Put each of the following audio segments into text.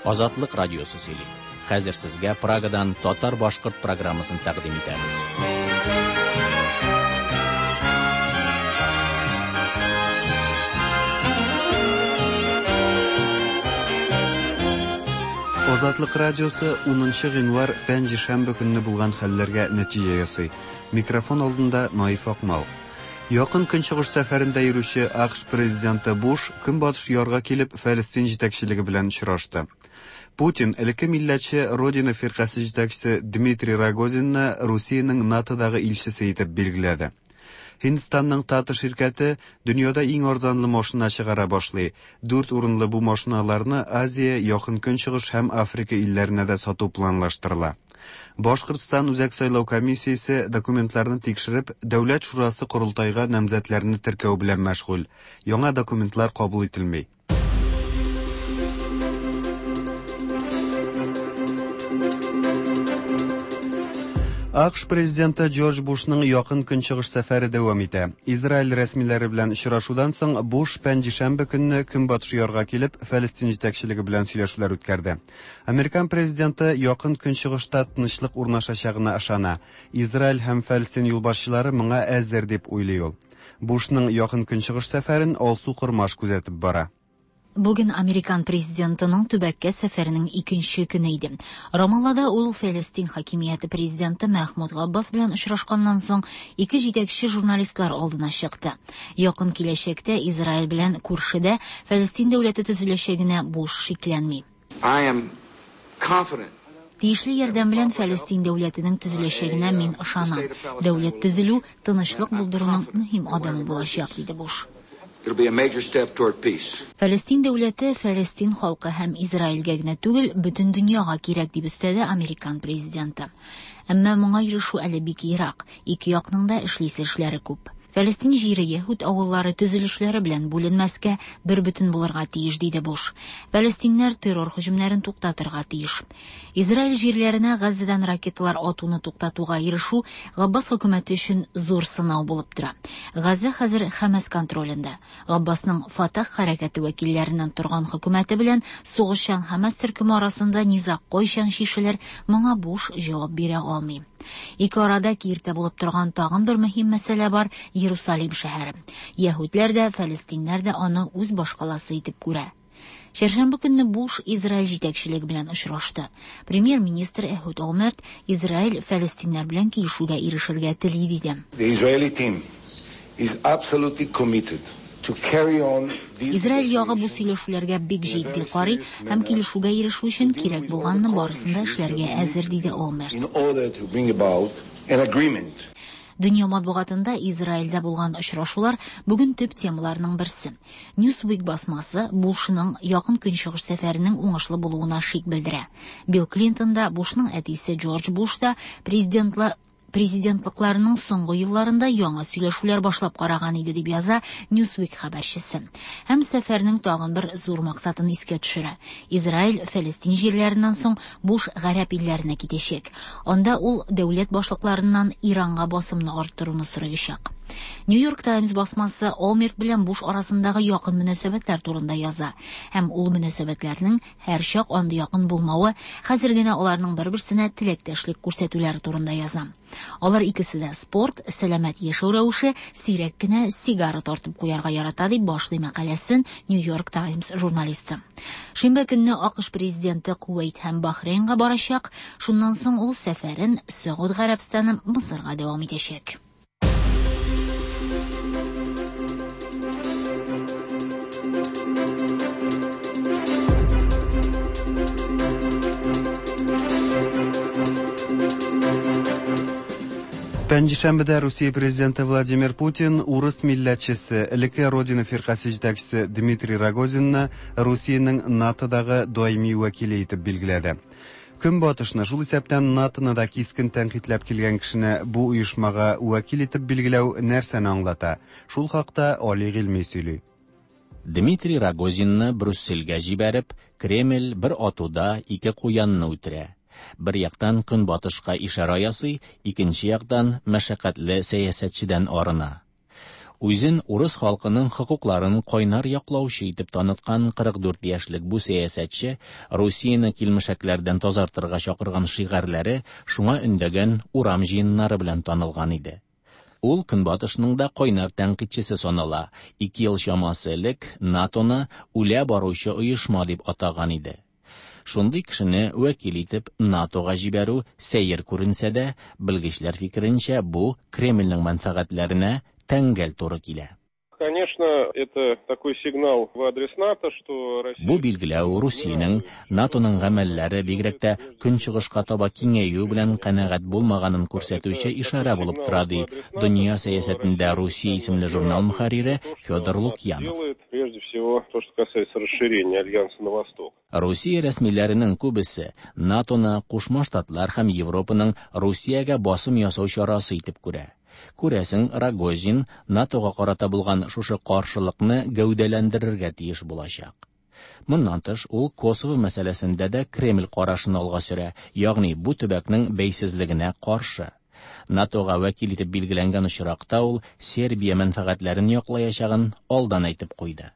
Азатлык радиосы сөйли. Хәзер сезгә Прагадан татар-башкорт программасын тәкъдим итәбез. Азатлык радиосы 10 гыйнвар пәнҗешәмбе көнне булган хәлләргә нәтиҗә ясый. Микрофон алдында Наиф Акмал. Якын Көнчыгыш сәфәрендә йөрүче АКШ президенты Буш Көнбатыш ярга килеп Фәлестин җитәкчелеге белән очрашты. Путин элекке милләтче Родина фиркасе җитәкчесе Дмитрий Рогозинны Русиянең НАТОдагы илчесе итеп билгеләде. Һиндстанның Тата ширкәте дөньяда иң арзанлы машина чыгара башлый. Дүрт урынлы бу машиналарны Азия, Якын Көнчыгыш һәм Африка илләренә дә сату планлаштырыла. Башкортстан Үзәк сайлау комиссиясе документларны тикшереп, Дәүләт шурасы корылтайга намзәтләрне теркәү белән мәшгуль. Яңа документлар кабул ителми. АКШ президенты Джордж Бушның Якын Көнчыгыш сәфәре дәвам итә. Израиль рәсмиләре белән очрашудан соң Буш пәнҗешәмбе көнне Көнбатыш ярга килеп, Фәлестин җитәкчелеге белән сөйләшүләр үткәрде. Американ президенты Якын Көнчыгышта тынычлык урнашачагына ышана. Израиль һәм Фәлестин юлбашчылары моңа әзер дип уйлый ул. Бушның Якын Көнчыгыш сәфәрен Алсу Кормаш күзәтеп бара. Бүген американ президентының төбәккә сәфәренең икенче көне иде. Рамаллада ул Фәлестин хакимияте президенты Мәхмүд Габбас белән очрашканнан соң ике җитәкче журналистлар алдына чыкты. Якын киләчәктә Израиль белән күршедә Фәлестин дәүләте төзеләчәгенә Буш шикләнми. I am confident. Тиешле ярдәм белән Фәлестин дәүләтенең төзеләчәгенә мин ышанам. Дәүләт төзелү тынычлык булдыруның мөһим адымы булачак, диде Буш. It'll be a major step toward peace. Фәлестин дәүләте Фәлестин халкы һәм Израильгә генә түгел, бөтен дөньяга кирәк, дип өстәде американ президенты. Әмма моңа ирешү әле бик ерак. Ике якның да эшлисе эшләре күп. Фәлестин җире яһүд авыллары төзелешләре белән бүленмәскә, бер бөтен булырга тиеш, диде Буш. Фәлестиннәр террор һөҗүмнәрен туктатырга тиеш. Израиль җирләренә Газзадан ракеталар атуны туктатуга ирешү Габбас хөкүмәте өчен зур сынау булып тора. Газза хәзер Хәмәс контролендә. Габбасның Фатах хәрәкәте вәкилләреннән торган хөкүмәте белән сугышчан Хәмәс төркеме арасында низаг кайчан чишелер, моңа Буш җавап бирә алмый. Ике арада киртә булып торган тагын бер мөһим мәсьәлә бар Иерусалим шәһәре. Яһүдләр дә, фәлестиннәр дә аны үз башкаласы итеп күрә. Чәршәмбе көнне Буш Израиль җитәкчелеге белән очрашты. Премьер-министр Эхуд Олмерт Израиль фәлестиннәр белән килешүгә ирешергә тели диде. The Israeli team is absolutely committed to carry on these Израиль ягы бу negotiations сөйләшүләргә бик in a җитди very карый serious һәм manner килешүгә ирешү to өчен deal кирәк with all the булганны core барысын да issues that эшләргә we need әзер to диде do Олмерт. in order to bring about an agreement. Дөнья матбугатында Израильдә булган очрашулар бүген төп темаларның берсе. Newsweek басмасы Бушның Якын Көнчыгыш сәфәренең уңышлы булуына шик белдерә. Билл Клинтон да, Бушның әтисе Джордж Буш та президентлыкларының соңгы елларында яңа сөйләшүләр башлап караган иде дип яза Newsweek хәбәрчесе. Һәм сәфәрнең тагын бер зур максатын искә төшерә. Израиль Фәлестин җирләреннән соң Буш гарәп илләренә китәчәк. Анда ул дәүләт башлыкларыннан Иранга басымны арттыруны сораячак. New York Times басмасы Олмерт белән Буш арасындагы якын мөнәсәбәтләр турында яза. Һәм ул мөнәсәбәтләрнең һәр чак андый якын булмавы, хәзер генә аларның бер-берсенә теләктәшлек күрсәтүләре турында яза. Алар икесе дә спорт, сәламәт яшәү рәвеше, сирәк кенә сигара тартып куярга ярата дип башлый мәкаләсен New York Times журналисты. Шимбә көнне АКШ президенты Кувейт һәм Бахрейнга барачак. Шуннан соң ул сәфәрен Сәгуд Гарәбстаны Мысырга дәвам итәчәк. Пәнҗешәмбедә Русия президенты Владимир Путин урыс милләтчесе, элекке Родина фиркасе җитәкчесе Дмитрий Рогозинны Русиянең НАТОдагы даими вәкиле итеп билгеләде. Көнбатышны, шул исәптән НАТОны да кискен тәнкыйтьләп килгән кешене бу оешмага вәкил итеп билгеләү нәрсәне аңлата? Шул хакта Али Гыйльми сөйли. Дмитрий Рогозинны Брюссельгә җибәреп, Кремль бер атуда ике куянны үтерә. Бер яктан көнбатышка ишарә ясый, икенче яктан мәшәкатьле сәясәтчедән арына. Үзен урыс халкының хокукларын кайнар яклаучы итеп таныткан 44 яшьлек бу сәясәтче Русияне килмешәкләрдән тазартырга чакырган шигарьләре, шуңа өндәгән урам җыеннары белән танылган иде. Ул Көнбатышның да кайнар тәнкыйтьчесе санала, 2 ел чамасы элек НАТОны үлә баручы оешма дип атаган иде. Шундый кешене вәкил итеп НАТОга җибәрү сәер күренсә дә, белгечләр фикеренчә, бу Кремльнең мәнфәгатьләренә тәңгәл туры килә. Конечно, это такой сигнал в адрес НАТО, что Россия... Бу билгеләү Русиянең НАТОның гамәлләре бигрәк тә көнчыгышка таба киңәюе белән канәгать булмаганын күрсәтүче ишарә булып тора, ди Дөнья сәясәтендә Русия исемле журнал мөхәррире Федор Лукьянов. Прежде всего, то, что касается расширения Альянса на восток. Русия рәсмиләренең күбесе НАТОны Кушма Штатлар һәм Европаның Русиягә басым ясау чарасы итеп күрә. Күрәсең, Рогозин НАТОга карата булган шушы каршылыкны гәүдәләндерергә тиеш булачак. Моннан тыш, ул Косово мәсьәләсендә дә Кремль карашын алга сөрә, ягъни бу төбәкнең бәйсезлегенә каршы. НАТОга вәкил итеп билгеләнгән очракта ул Сербия мәнфәгатьләрен яклаячагын алдан әйтеп куйды.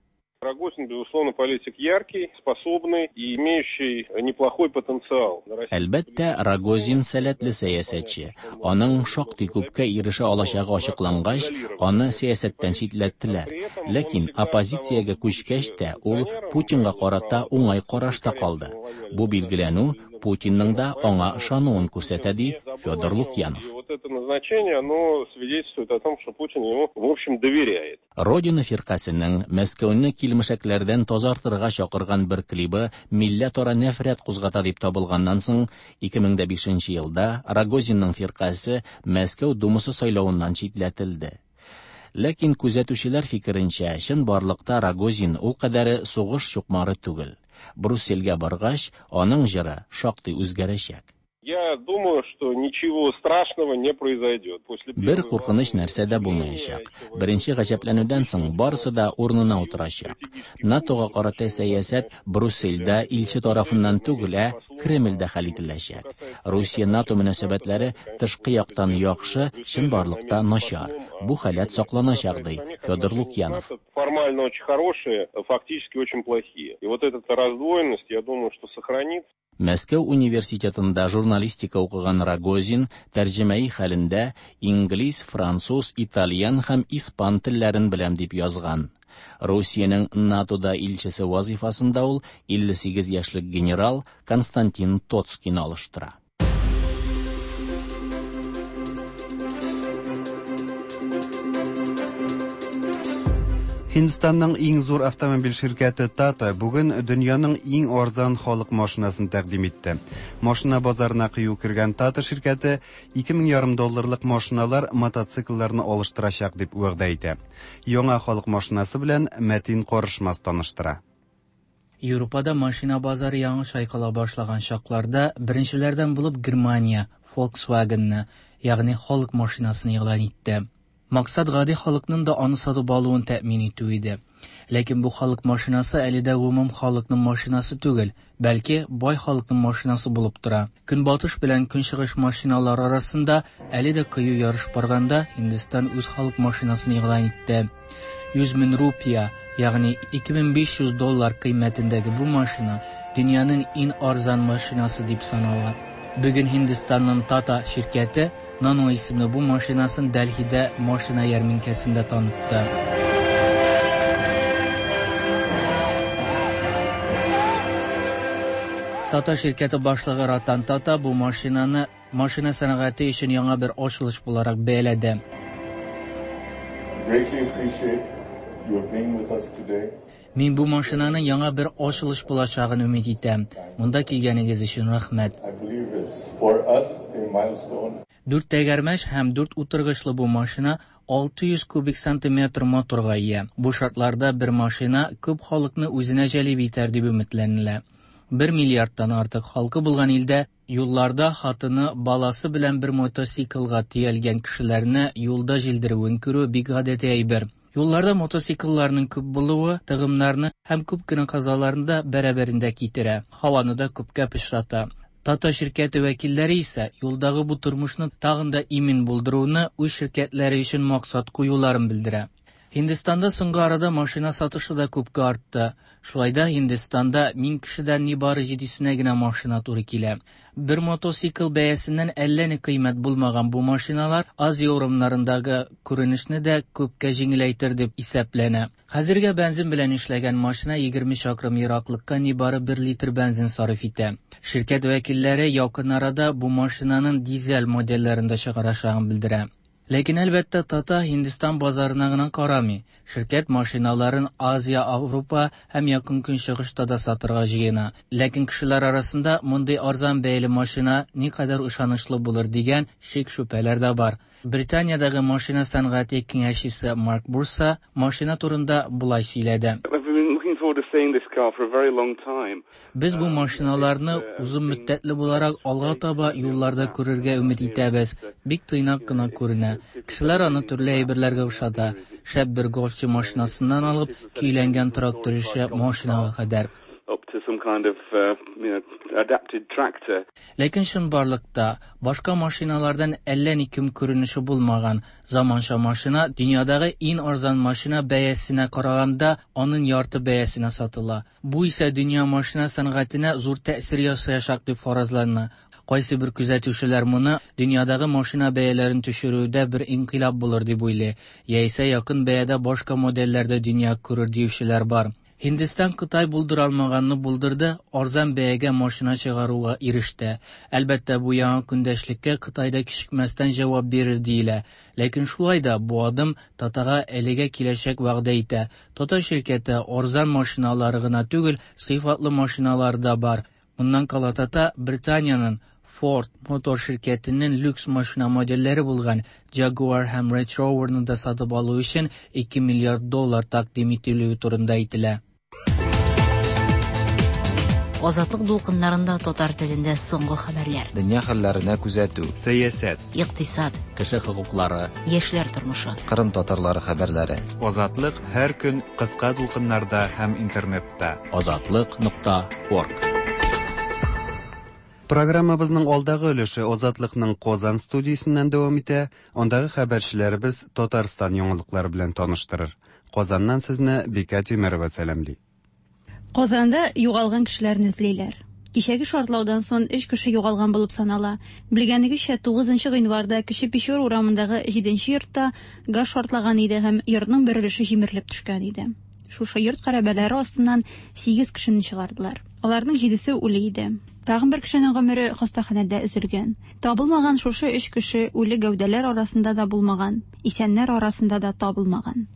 Рогозин, безусловно, политик яркий, способный и имеющий неплохой потенциал. Әлбәттә, Рогозин сәләтле сәясәтче. Аның шактый күпкә ирешә алачагы ачыклангач, аны сәясәттән читләттеләр. Ләкин оппозициягә күчкәч тә, ул Путинга карата уңай карашта калды. Бу билгеләнү Путинның да аңа ышануын күрсәтә, ди Федор Лукьянов. И вот это назначение, оно свидетельствует о том, что Путин ему, в общем, доверяет. Родина фиркасының Мәскәүне килмешәкләрдән тазартырга чакырган бер клибы милләтара нәфрәт кузгата дип табылганнан соң 2005 елда Рогозинның фиркасе Мәскәү Думасы сайлавыннан читләтелде. Ләкин күзәтүчеләр фикеренчә, чынбарлыкта Рогозин ул кадәре сугыш чукмары түгел. Брюссельгә баргач, аның җыры шактый үзгәрәчәк. Я думаю, что ничего страшного не произойдет. После Бер куркыныч нәрсә дә булмаячак. Беренче гаҗәпләнүдән соң барысы да урынына утырачак. НАТОга карата сәясәт Брюссельдә илче тарафыннан түгел, ә Кремльдә хәл ителәчәк. Русия-НАТО мөнәсәбәтләре тышкы яктан яхшы, чынбарлыкта начар. Бу халәт сакланачак, ди Федор Лукьянов. Формально очень хорошие, фактически очень плохие. И вот эта раздвоенность, я думаю, что сохранится. Мәскәү университетында журналистика укыган Рогозин тәрҗемәи хәлендә инглиз, француз, итальян һәм испан телләрен беләм дип язган. Русиянең НАТОда илчесе вазифасында ул 58 яшьлек генерал Константин Тоцкийны алыштыра. Һиндстанның иң зур автомобиль ширкәте Tata бүген дөньяның иң арзан халык машинасын тәкъдим итте. Машина базарына кыю кергән Tata ширкәте 2500 долларлык машиналар мотоциклларны алыштырачак дип вәгъдә итә. Яңа халык машинасы белән Мәтин Карышмас таныштыра. Европада машина базары яңа чайкала башлаган чакларда беренчеләрдән булып Германия Volkswagen-ны, ягъни халык машинасын игълан итте. Максат гади халыкның да аны сатып алуын тәэмин итү иде. Ләкин бу халык машинасы әле дә гомум халыкның машинасы түгел, бәлки бай халыкның машинасы булып тора. Көнбатыш белән көнчыгыш машиналар арасында әле дә кыю ярыш барганда Һиндстан үз халык машинасын игълан итте. 100 мең рупия, ягъни 2500 доллар кыйммәтендәге бу машина дөньяның иң арзан машинасы дип санала. Бүген Һиндстанның Tata ширкәте Nano исемле бу машинасын Дәлһидә машина ярминкәсендә танытты. Tata ширкәте башлыгы Ратан Tata бу машинаны машина сәнәгате өчен яңа бер ачылыш буларак бәяләде. Greatly appreciate your being with us today. Мин бу машинаның яңа бер ачылыш булачагын өмет итәм. Монда килгәнегез өчен рәхмәт. I believe it's for us a milestone. Дүрт тәгәрмәч һәм дүрт утыргычлы бу машина 600 кубик сантиметр моторга ия. Бу шартларда бер машина күп халыкны үзенә җәлеп итәр дип өметләнелә. 1 миллиардтан артык халкы булган илдә юлларда хатыны, баласы белән бер мотоциклга төялгән кешеләрне юлда җилдерүен күрү бик гадәти әйбер. Юлларда мотоциклларның күп булуы тыгымнарны һәм күп кенә казаларны да бәрабәрендә китерә, һаваны да күпкә пычрата. Tata ширкәте вәкилләре исә юлдагы бу тормышны тагын да имин булдыруны үз ширкәтләре өчен максат куюларын белдерә. Һиндстанда соңгы арада машина сатышы да күпкә артты. Шулай да Һиндстанда 1000 кешедән нибары җидесенә генә машина туры килә. Бер мотоцикл бәясеннән әллә ни кыйммәт булмаган бу машиналар Азия урамнарындагы күренешне дә күпкә җиңеләйтер дип исәпләнә. Хәзергә бензин белән эшләгән машина 20 чакрым ераклыкка нибары 1 литр бензин сарыф итә. Ширкәт вәкилләре якын арада бу машинаның дизель модельләрен дә чыгарачагын белдерә. Ләкин, әлбәттә, Тата Һиндстан базарына гына карамый. Ширкәт машиналарын Азия, Авропа һәм Якын Көнчыгышта да сатырга җыена. Ләкин кешеләр арасында мондый арзан бәяле машина никадәр ышанычлы булыр дигән шик-шөбһәләр дә бар. Британиядәге машина сәнгате киңәшчесе Марк Бурса машина турында болай сөйләде. Без бу машиналарны озын мөддәтле буларак алга таба юлларда күрергә өмет итәбез. Бик тыйнак кына күренә. Кешеләр аны төрле әйберләргә охшата. Шәп бер гольфчы машинасыннан алып, көйләнгән трактор ише машинага кадәр. Ләкин чынбарлыкта башка машиналардан әллә ни ким күренеше булмаган заманча машина дөньядагы иң арзан машина бәясенә караганда аның ярты бәясенә сатыла. Бу исә дөнья машина сәнгатенә зур тәэсир ясаячак дип фаразлана. Кайсы бер күзәтүчеләр моны дөньядагы машина бәяләрен төшерүдә бер инкыйлаб булыр дип уйлый, яисә якын бәядә башка модельләрдә дөнья күрер диючеләр бар. Һиндстан Кытай булдыра алмаганны булдырды, арзан бәягә машина чыгаруга иреште. Әлбәттә, бу яңа көндәшлеккә Кытай да кичекмәстән җавап бирер диелә. Ләкин шулай да бу адым Татага әлегә киләчәк вәгъдә итә. Тата ширкәте арзан машиналары гына түгел, сыйфатлы машиналары да бар. Моннан кала Тата Британиянең Ford мотор ширкәтенең люкс машина модельләре булган Jaguar һәм Range Rover'ны да сатып алу өчен 2 миллиард доллар тәкъдим ителүе турында әйтелә. Азатлык дулкыннарында татар телендә соңгы хәбәрләр. Дөнья хәлләренә күзәтү. Сәясәт. Икътисад. Кеше хокуклары. Яшьләр тормышы. Кырым татарлары хәбәрләре. Азатлык һәр көн кыска дулкыннарда һәм интернетта. Азатлык.орг. Программабызның алдагы өлеше Азатлыкның Казан студиясеннән дәвам итә. Андагы хәбәрчеләребез Татарстан яңалыклары белән таныштырыр. Казаннан сезне Бикә Тимерова сәламли. Казанда югалган кешеләрне эзлиләр. Кичәге шартлаудан соң 3 кеше югалган булып санала. Белгәнегезчә, 9 гыйнварда Кече Печор урамындагы 7 йортта газ шартлаган иде һәм йортның бер өлеше җимерелеп төшкән иде. Шушы йорт хәрабәләре астыннан 8 кешене чыгардылар. Аларның 7-се үле иде. Тагын бер кешенең гомере хастаханәдә өзелгән. Табылмаган шушы 3 кеше үле гәүдәләр арасында да булмаган, исәннәр арасында да табылмаган.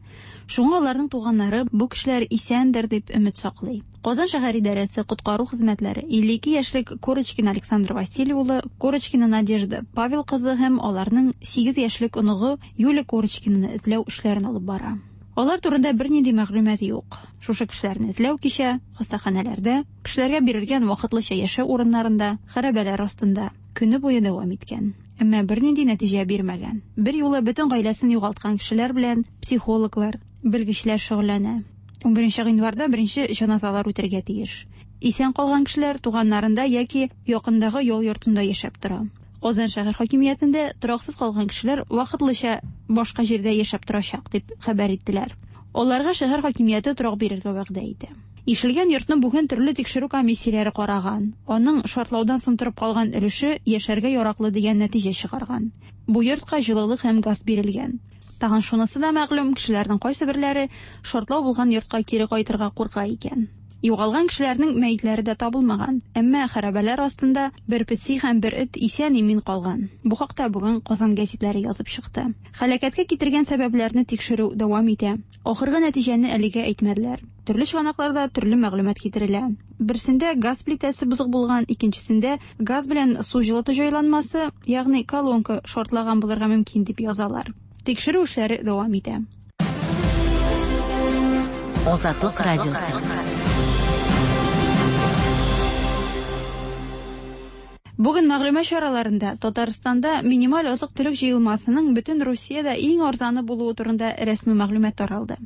Шуңа аларның туганнары бу кешеләр исәндер дип өмет саклый. Казан шәһәр идарәсе коткару хезмәтләре 52 яшьлек Корочкин Александр Василий улы, Корочкина Надежда Павел кызы һәм аларның 8 яшьлек оныгы Юлия Корочкинаны эзләү эшләрен алып бара. Алар турында бернинди мәгълүмат юк. Шушы кешеләрне эзләү кичә хастаханәләрдә, кешеләргә бирелгән вакытлыча яшәү урыннарында, хәрабәләр астында көне буе дәвам иткән. Әмма бернинди нәтиҗә бирмәгән. Бер юлы бөтен гаиләсен югалткан кешеләр белән психологлар, белгечләр шөгыльләнә. 11 гыйнварда беренче җеназалар үтәргә тиеш. Исән калган кешеләр туганнарында яки якындагы ял йортында яшәп тора. Казан шәһәр хакимиятендә тораксыз калган кешеләр вакытлыча башка җирдә яшәп торачак дип хәбәр иттеләр. Аларга шәһәр хакимияте торак бирергә вәгъдә итә. Ишелгән йортны бүген төрле тикшерү комиссияләре караган. Аның шартлаудан соң торып калган өлеше яшәргә яраклы дигән нәтиҗә чыгарган. Бу йортка җылылык һәм газ бирелгән. Тагын шунысы да мәгълүм, кешеләрнең кайсы берләре шартлау булган йортка кире кайтырга курка икән. Югалган кешеләрнең мәетләре дә табылмаган, әмма хәрабәләр астында бер песи һәм бер эт исән-имин калган. Бу хакта бүген Казан гәзитләре язып чыкты. Һәлакәткә китергән сәбәпләрне тикшерү дәвам итә. Ахыргы нәтиҗәне әлегә әйтмәделәр. Төрле чыганакларда төрле мәгълүмат китерелә. Берсендә газ плитәсе бозык булган, икенчесендә газ белән су җылыту җайланмасы, ягъни колонка шартлаган булырга мөмкин дип язалар. Тикшерү эшләре дәвам итә. Азатлык радиосы. Бүген мәгълүмат чараларында Татарстанда минималь азык-төлек җыелмасының бөтен Русиядә иң арзаны булуы турында рәсми мәгълүмат таралды.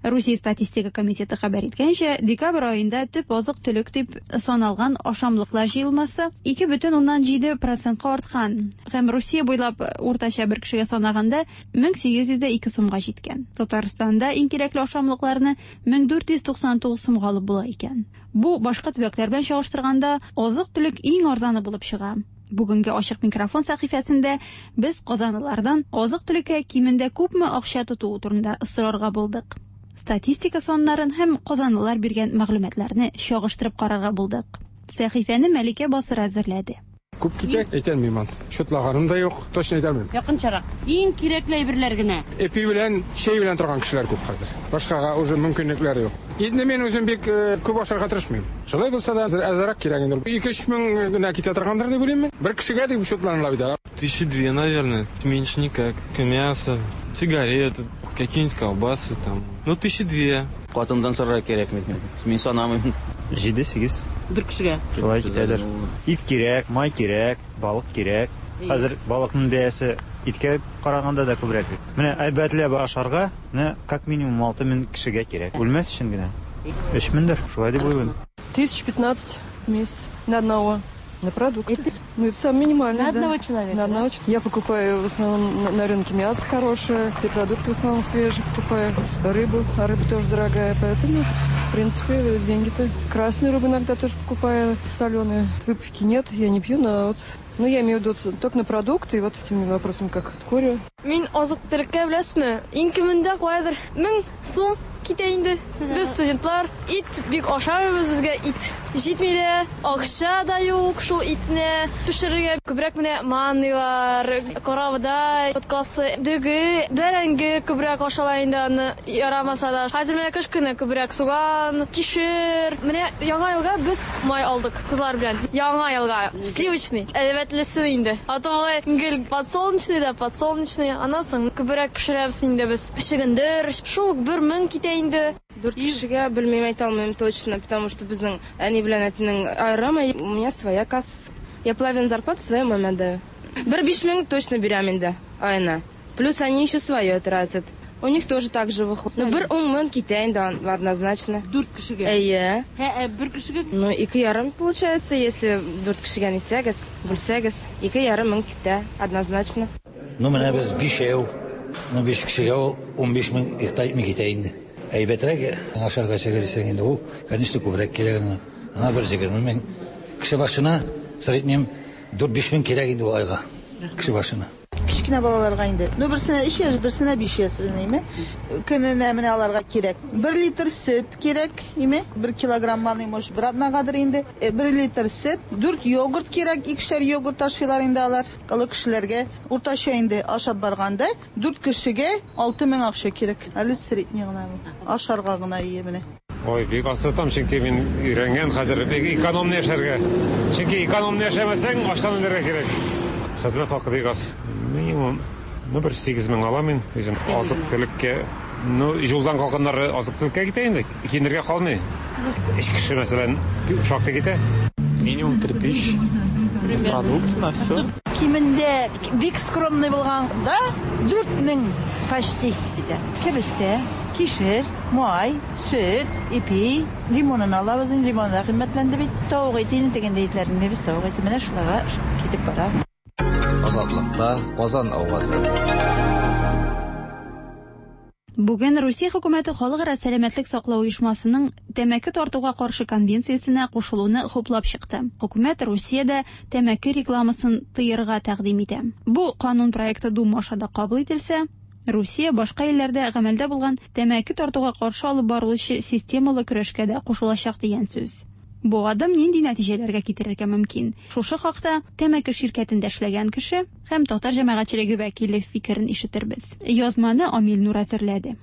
Русия статистика комитеты хәбәр иткәнчә, декабрь аенда төп азык-төлек дип саналган ашамлыклар җыелмасы 2,7 процентка арткан һәм Русия буйлап уртача бер кешегә санаганда 1802 сумга җиткән. Татарстанда иң кирәкле ашамлыкларны 1499 сумга алып була икән. Бу башка төбәкләр белән чагыштырганда азык-төлек иң арзаны булып чыга. Бүгенге ачык микрофон сәхифәсендә без казанлылардан азык-төлеккә кимендә күпме акча тотуы турында сорарга булдык. Статистика саннарын һәм казанлылар биргән мәгълүматларны чагыштырып карарга булдык. Сәхифәне Мәликә Басыр әзерләде. Күп китә, әйтәлмим ансы. Счетлаганым да юк, точно әйтәлмим. Якынчарак. Иң кирәкле әйберләр генә. Эпи белән, чәй белән торган кешеләр күп хәзер. Башкага уже мөмкинлекләр юк. Итне мин үзем бик күп ашарга тырышмыйм. Шулай булса да әзрәк кирәк инде. 2-3 мең генә китә торгандыр дип уйлыйм мин. Бер кешегә дип счетланыла бит. 2000, наверное, меньше никак. Мясо, сигареты, какие-нибудь колбасы там. Ну, 2000. Катындан сорарга кирәкми. Мин санамыйм. 7-8. Бер кешегә. Шулай китәдер. Ит кирәк, май кирәк, балык кирәк. Хәзер балыкның бәясе иткә караганда да күбрәк. Менә әйбәтләп ашарга, менә как минимум 6000 кешегә кирәк. Үлмәс өчен генә. 3000дер, шулай дип уйлыйм. 1015 в месяц на одного. На продукты. Ну, это самое минимальное. На одного человека? На одного. Я покупаю в основном на рынке мясо хорошее, и продукты в основном свежие покупаю, рыбу, а рыба тоже дорогая, поэтому, в принципе, деньги-то. Красную рыбу иногда тоже покупаю, соленую. Выпивки нет, я не пью, но вот... Ну, я имею в виду только на продукты, и вот этими вопросами, как курю. Мин азык-төлеккә беләсезме? Иң кимендә каядыр 1000 сум китә инде. Без студентлар, ит бик ашамыйбыз, безгә ит җитми дә, акча да юк шул итне пешерергә. Күбрәк менә манныйлар, карабодай, боткасы, дөге, бәрәңге күбрәк ашала инде аны ярамаса да. Хәзер менә кыш көне күбрәк суган, кишер. Менә яңа елга без май алдык кызлар белән. Яңа елга сливочный, әйбәтлесе инде. А то алай гел подсолнечный да подсолнечный. Аннан соң күбрәк пешерәбез инде без. Чөгендер, шул 1000 китә инде. 4 кешегә белмим, әйтә алмыйм точно, потому что безнең әни белән әтинең аерым, у меня своя касса. Я половину зарплаты своей маме отдаю. Бер 5000 точно бирәм инде аена. Плюс они еще свое тратят. У них тоже так же выходит. Ну, бер 10000 китә инде однозначно. 4 кешегә? Әйе. Ә, бер кешегә? Ну, 2,5 получается, если 4 кешегә нитсәгез, бүлсәгез, 2,5 мең китә однозначно. Ну, менә без 5 ну, 5 кешегә ул 15000 ихтыяр китә инде. Әйбәтрәк ашарга чыгыр дисәң инде ул, конечно, күбрәк кирәк аңа. Аңа бер 20 мең. Кеше башына среднем 4-5 мең кирәк инде ул айга. Кеше башына. Кечкенә балаларга инде. Ну, берсенә 3 яшь, берсенә 5 яшь, име? Көненә менә аларга кирәк. 1 литр сөт кирәк, име? 1 килограмм маны, может, бер атнагадыр инде. 1 литр сөт, 4 йогурт кирәк, икешәр йогурт ашыйлар инде алар. Олы кешеләргә уртача инде ашап барганда 4 кешегә 6000 акча кирәк. Әле средний гына бу. Ашарга гына ие менә. Ой, бик аз тотам, чөнки мин өйрәнгән хәзер бик экономный яшәргә. Чөнки экономный яшәмәсәң, ачтан үләргә кирәк. Хезмәт хакы бик аз. Минимум, ну, бер 8000 алам мин үзем. Азык-төлеккә, ну, юлдан калганнары азык-төлеккә китә инде. Киенергә калмый. Өч кеше, мәсәлән, шактый китә. Минимум 3000. Продукты на все. Кимендә бик скромный булганда 4000 почти китә. Кәбестә, кишер, май, сөт, ипи, лимонын алабыз инде, лимон да кыйммәтләнде бит. Тавык ите инде дигәндә итләрне без тавык ите менә шуларга китеп бара. Азатлыкта Казан авазы. Бүген Русия хөкүмәте Халыкара сәламәтлек саклау оешмасының тәмәке тартуга каршы конвенциясенә кушылуны хуплап чыкты. Хөкүмәт Русиядә тәмәке рекламасын тыярга тәкъдим итә. Бу канун проекты Дума аша да кабул ителсә, Русия башка илләрдә гамәлдә булган тәмәке тартуга каршы алып барылучы системалы көрәшкә дә кушылачак дигән сүз. Бу адым нинди нәтиҗәләргә китерергә мөмкин? Шушы хакта тәмәке ширкәтендә эшләгән кеше һәм татар җәмәгатьчелеге вәкиле фикерен ишетербез. Язманы Амил Нур әзерләде.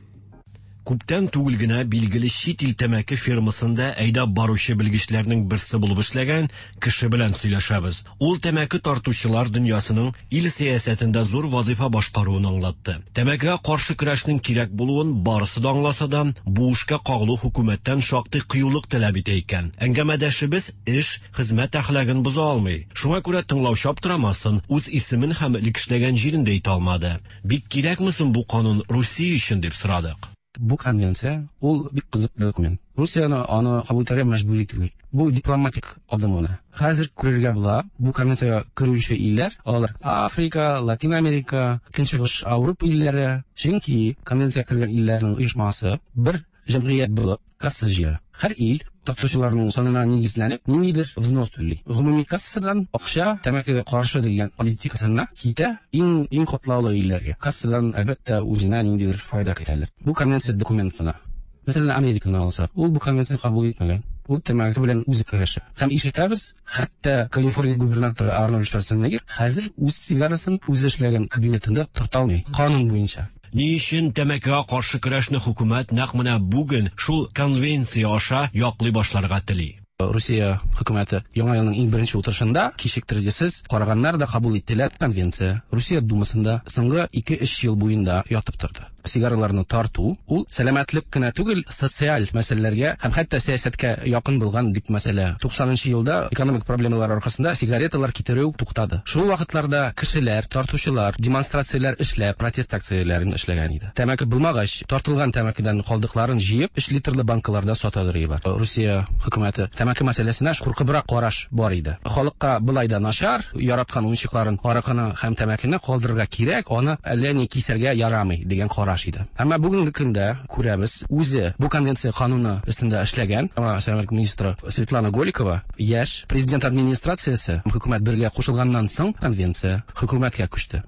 Күптән түгел генә билгеле чит ил тәмәке фирмасында әйдәп баручы белгечләрнең берсе булып эшләгән кеше белән сөйләшәбез. Ул тәмәке тартучылар дөньясының ил сәясәтендә зур вазифа башкаруын аңлатты. Тәмәкегә каршы көрәшнең кирәк булуын барысы да аңласа да, бу эшкә кагылу хөкүмәттән шактый кыюлык таләп итә икән. Әңгәмәдәшебез эш, хезмәт әхлагын боза алмый. Шуңа күрә тыңлаучы аптырамасын, үз исемен һәм элек эшләгән җирен дә әйтә алмады. Бик кирәкме соң бу канун Русия өчен дип сорадык. Бу конвенция ул бик кызык документ. Русияне аны кабул итәргә мәҗбүри түгел. Бу дипломатик адым гына. Хәзер күрергә була, бу конвенциягә керүче илләр, алар Африка, Латин Америка, Көнчыгыш Ауропа илләре. Чөнки конвенциягә кергән илләрнең оешмасы бер җәмгыять булып касса җыя. Һәр ил тартучыларның санына нигезләнеп ниндидер взнос түли. Гомуми кассадан акча тәмәкегә каршы дигән политикасына китә иң иң катлаулы илләргә. Кассадан, әлбәттә, үзенә ниндидер файда көтәләр. Бу конвенция документ кына. Мәсәлән, Американы алсак, ул бу конвенцияне кабул итмәгән. Ул тәмәке белән үзе көрәшә. Һәм ишетәбез, хәтта Калифорния губернаторы Арнольд Шварценеггер хәзер үз сигарасын үзе эшләгән кабинетында тарта алмый, канун буенча. Ни өчен тәмәкегә каршы көрәшне хөкүмәт нәкъ менә бүген шул конвенция аша яклый башларга тели? Русия хөкүмәте яңа елның иң беренче утырышында кичектергесез караганнар да кабул иттеләр конвенция. Русия Думасында соңгы 2-3 ел буенда ятып торды. Сигараларны тарту ул сәламәтлек кенә түгел, социаль мәсьәләләргә һәм хәтта сәясәткә якын булган дип мәсьәлә. 90 елда экономик проблемалар аркасында сигареталар китерү туктады. Шул вакытларда кешеләр, тартучылар демонстрацияләр эшләп, протест акцияләрен эшләгән иде. Тәмәке булмагач, тартылган тәмәкедән калдыкларын җыеп, 3 литрлы банкаларда сатадыр. Русия хөкүмәте тәмәке мәсьәләсенә куркыбрак караш бар иде. Халыкка былай да начар, яраткан уенчыкларын, аракыны һәм тәмәкене калдырырга кирәк, аны әллә ни кисәргә ярамый дигән караш иде. Әмма бүгенге көндә күрәбез, үзе бу конвенция кануны өстендә эшләгән яңа сәламәтлек министры Светлана Голикова яшь президент администрациясе хөкүмәт бергә кушылганнан соң конвенция хөкүмәткә күчте.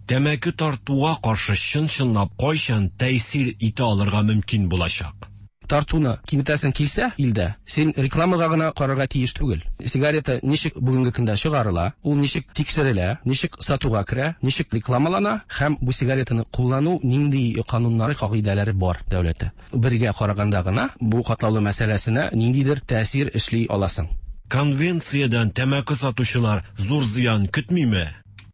Тәмәке тартуга каршы чын-чынлап кайчан тәэсир итә алырга мөмкин булачак? Тартуны киметәсең килсә илдә, син рекламага гына карарга тиеш түгел. Сигарета ничек бүгенге көндә чыгарыла, ул ничек тикшерелә, ничек сатуга керә, ничек рекламалана һәм бу сигаретаны куллану нинди кануннары, кагыйдәләре бар дәүләттә. Бергә караганда гына бу катлаулы мәсьәләсенә ниндидер тәэсир эшли аласың. Конвенциядән тәмәке сатучылар зур зыян көтмиме?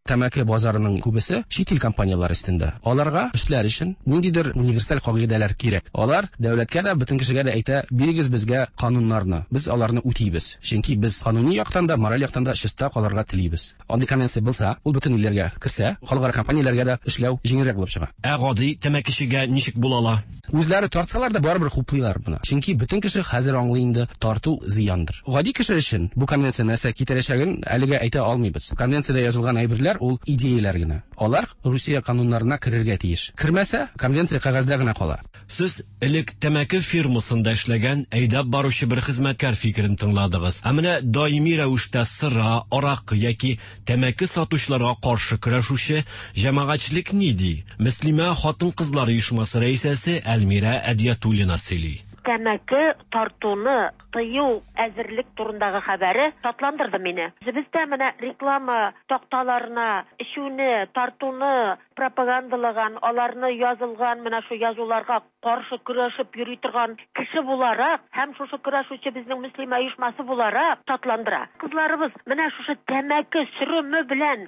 Тәмәке базарының күбесе чит ил компанияләре өстендә. Аларга эшләр өчен ниндидер универсаль кагыйдәләр кирәк. Алар дәүләткә дә, бөтен кешегә дә әйтә, бирегез безгә кануннарны, без аларны үтибез. Чөнки без кануни яктан да, мораль яктан да чиста калырга телибез. Андый конвенция булса, ул бөтен илләргә керсә, халыкара компанияләргә дә эшләү җиңелрәк булып чыга. Ә гади тәмәкечегә ничек була ала? Үзләре тартсалар да барыбер хуплыйлар моны. Чөнки бөтен кеше хәзер аңлый инде, тарту зыяндыр. Гади кеше өчен бу конвенция нәрсә китерәчәген әлегә әйтә алмыйбыз. Конвенциядә язылган әйберләр ул идеяләр генә. Алар Русия кануннарына керергә тиеш. Кермәсә, конвенция кәгазьдә генә кала. Сез элек тәмәке фирмасында эшләгән әйдәп баручы бер хезмәткәр фикерен тыңладыгыз. Ә менә даими рәвештә сыра, аракы яки тәмәке сатучыларга каршы көрәшүче җәмәгатьчелек ни ди? Мөслимә хатын-кызлар оешмасы рәисәсе Әлмирә Әдиятуллина сөйли. Тәмәке тартуны тыю әзерлек турындагы хәбәре шатландырды мине. Үзебездә менә реклама такталарына эчүне, тартуны пропагандалаган, аларны язылган менә шу язуларга каршы көрәшеп йөри торган кеше буларак һәм шушы көрәшүче безнең мөслимә оешмасы буларак шатландыра. Кызларыбыз менә шушы тәмәке сөреме белән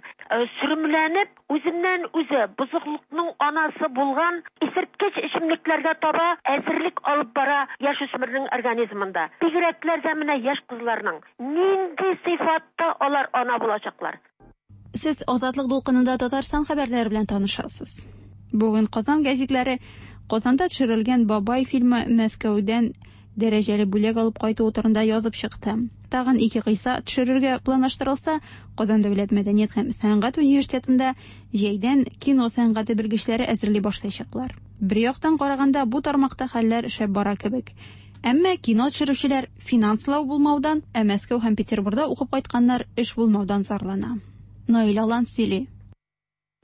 сөремләнеп, үзеннән үзе бозыклыкның анасы булган исерткеч эчемлекләргә таба әзерлек алып бара яшүсмернең организмында. Бигрәкләр дә менә яшь кызларның нинди сыйфатта алар ана булачаклар. Сез Азатлык дулкынында Татарстан хәбәрләре белән танышасыз. Бүген Казан гәзитләре Казанда төшерелгән Бабай фильмы Мәскәүдән дәрәҗәле бүләк алып кайтуы турында язып чыкты. Тагын ике кыйса төшерергә планлаштырылса, Казан дәүләт мәдәният һәм сәнгать университетында җәйдән кино сәнгате белгечләре әзерли башлаячаклар. Бер яктан караганда бу тармакта хәлләр шәп бара кебек. Әмма кино төшерүчеләр финанслау булмаудан, ә Мәскәү һәм Петербурда укып кайтканнар эш булмаудан зарлана. Наил Алан сөйли.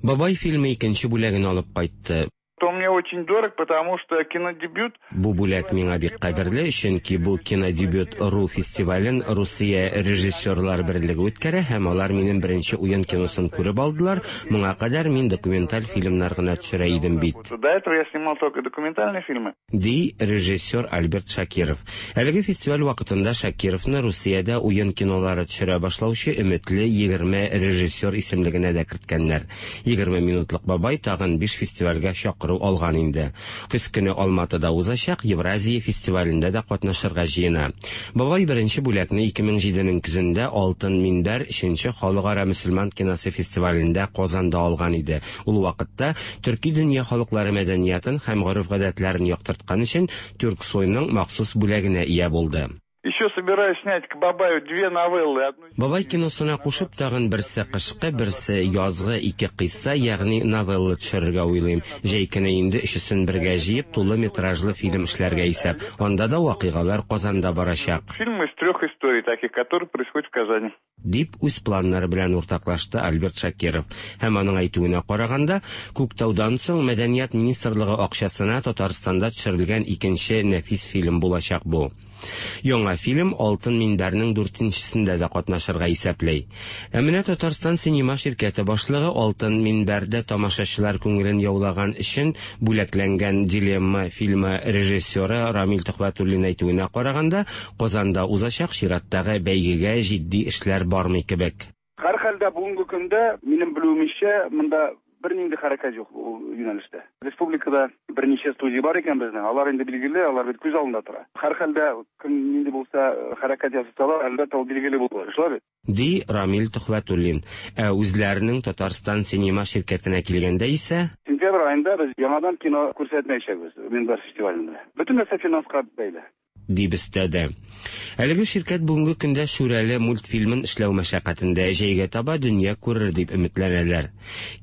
Бабай фильмы икенче бүләген алып кайтты. Он мне очень дорог, потому что кинодебют... Бу бүләк миңа бик кадерле, чөнки бу кинодебют РУ фестивален Русия режиссерлар берлеге үткәрә һәм алар минем беренче уен киносын күреп алдылар. Моңа кадәр мин документаль фильмнар гына төшерә идем бит. До этого я снимал только документальные фильмы. Ди режиссер Альберт Шакиров. Әлеге фестиваль вакытында Шакировны Русиядә уен кинолары төшерә башлаучы өметле 20 режиссер исемлегенә дә керткәннәр. 20 минутлык бабай тагын 5 фестивальгә чакыру алган. алган инде. Көз көне Алматыда узачак Евразия фестивалендә дә катнашырга җыена. Бабай беренче бүләкне 2007 нең көзендә Алтын минбәр өченче халыкара мөселман киносы фестивалендә Казанда алган иде. Ул вакытта төрки дөнья халыклары мәдәниятын һәм гореф-гадәтләрен яктырткан өчен Тюрксойның махсус бүләгенә ия булды. Еще собираюсь снять к Бабаю две новеллы. Одну Бабай киносына кушып тагын берсе кышкы, берсе язгы ике кыйсса, ягъни новелла төшерергә уйлыйм. Җәй көне инде өчесен бергә җыеп, тулы метражлы фильм эшләргә исәп. Анда да вакыйгалар Казанда барачак. Фильм из трех историй таких, которые происходят в Казани. Дип үз планнары белән уртаклашты Альберт Шакиров. Һәм аның әйтүенә караганда, Күктаудан соң Мәдәният министрлыгы акчасына Татарстанда төшерелгән икенче нәфис фильм булачак бу. Яңа фильм Алтын минбәрнең дүртенчесендә дә катнашырга исәпли. Ә менә Татарстан синема ширкәте башлыгы Алтын минбәрдә тамашачылар күңелен яулаган өчен бүләкләнгән Дилемма фильмы режиссеры Рамил Төхвәтуллин әйтүенә караганда, Казанда узачак чираттагы бәйгегә җитди эшләр бармый кебек. Һәрхәлдә бүгенге көндә, минем белүемчә, монда бернинди хәрәкәт юк ул юнәлештә. Республикада берничә студия бар икән безнең, алар инде билгеле, алар бит күз алдында тора. Һәрхәлдә кем нинди булса хәрәкәт ясасалар, әлбәттә ул билгеле булыр, шулай бит? Ди Рамил Төхвәтуллин. Ә үзләренең Татарстан синема ширкәтенә килгәндә исә, Сентябрь аенда без яңадан кино күрсәтмәячәкбез Минбәр фестивалендә. Бөтен нәрсә финанска бәйле. Дип өстәде. Әлеге ширкәт бүгенге көндә Шүрәле мультфильмын эшләү мәшәкатендә, җәйгә таба дөнья күрер дип өметләнәләр.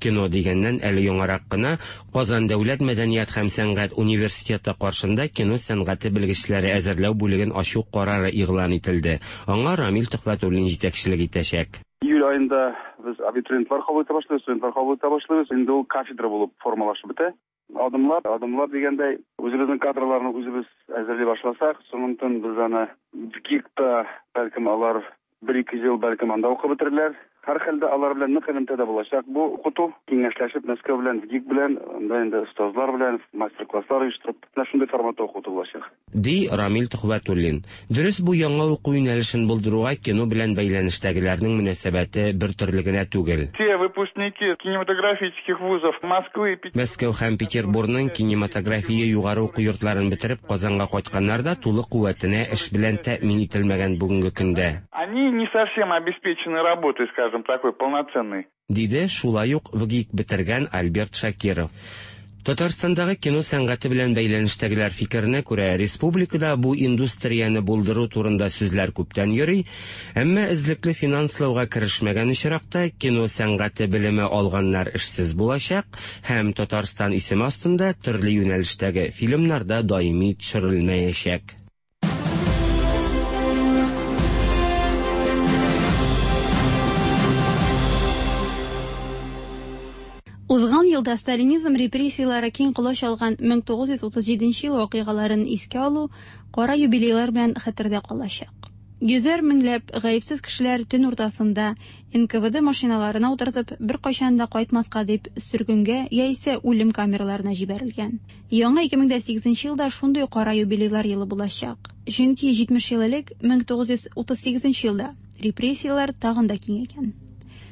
Кино дигәннән, әле яңарак кына Казан дәүләт мәдәният һәм сәнгать университеты каршында кино сәнгате белгечләре әзерләү бүлеген ачу карары игълан ителде. Аңа Рамил Төхвәтуллин җитәкчелек итәчәк. Июль аенда без абитуриентлар кабул итә башлыйбыз, студентлар кабул итә башлыйбыз. Инде ул кафедра булып формалашып бетә. Адымлап, адымлап дигәндәй, үзебезнең кадрларны үзебез әзерли башласак, соңыннан без аны ВГИКта, бәлкем алар бер-ике ел бәлкем анда укып бетерерләр. Һәрхәлдә алар белән нык элемтәдә булачак бу укыту. Киңәшләшеп Мәскәү белән, ВГИК белән, анда инде остазлар белән мастер-класслар оештырып, менә шундый форматта укыту булачак. Ди Рамил Төхвәтуллин. Дөрес, бу яңа уку юнәлешен булдыруга кино белән бәйләнештәгеләрнең мөнәсәбәте бер төрле генә түгел. Те выпускники кинематографических вузов Москвы и Мәскәү һәм Петербурның кинематография югары уку йортларын бетереп Казанга кайтканнар да тулы куәтенә эш белән тәэмин ителмәгән бүгенге көндә. Они не совсем обеспечены работой, скажем, такой полноценной. Диде шулай ук ВГИК бетергән Альберт Шакиров. Татарстандагы кино сәнгате белән бәйләнештәгеләр фикеренә күрә, республикада бу индустрияне булдыру турында сүзләр күптән йөри, әмма эзлекле финанслауга керешмәгән очракта кино сәнгате белеме алганнар эшсез булачак һәм Татарстан исеме астында төрле юнәлештәге фильмнар да даими төшерелмәячәк. Узган елда сталинизм репрессияләре киң колач алган 1937 ел вакыйгаларын искә алу кара юбилейлар белән хәтердә калачак. Йөзәр меңләп гаепсез кешеләр төн уртасында НКВД машиналарына утыртып, беркайчан да кайтмаска дип сөргенгә яисә үлем камераларына җибәрелгән. Яңа 2008 елда шундый кара юбилейлар елы булачак. Чөнки 70 ел элек 1938 елда репрессияләр тагын да киңәйгән.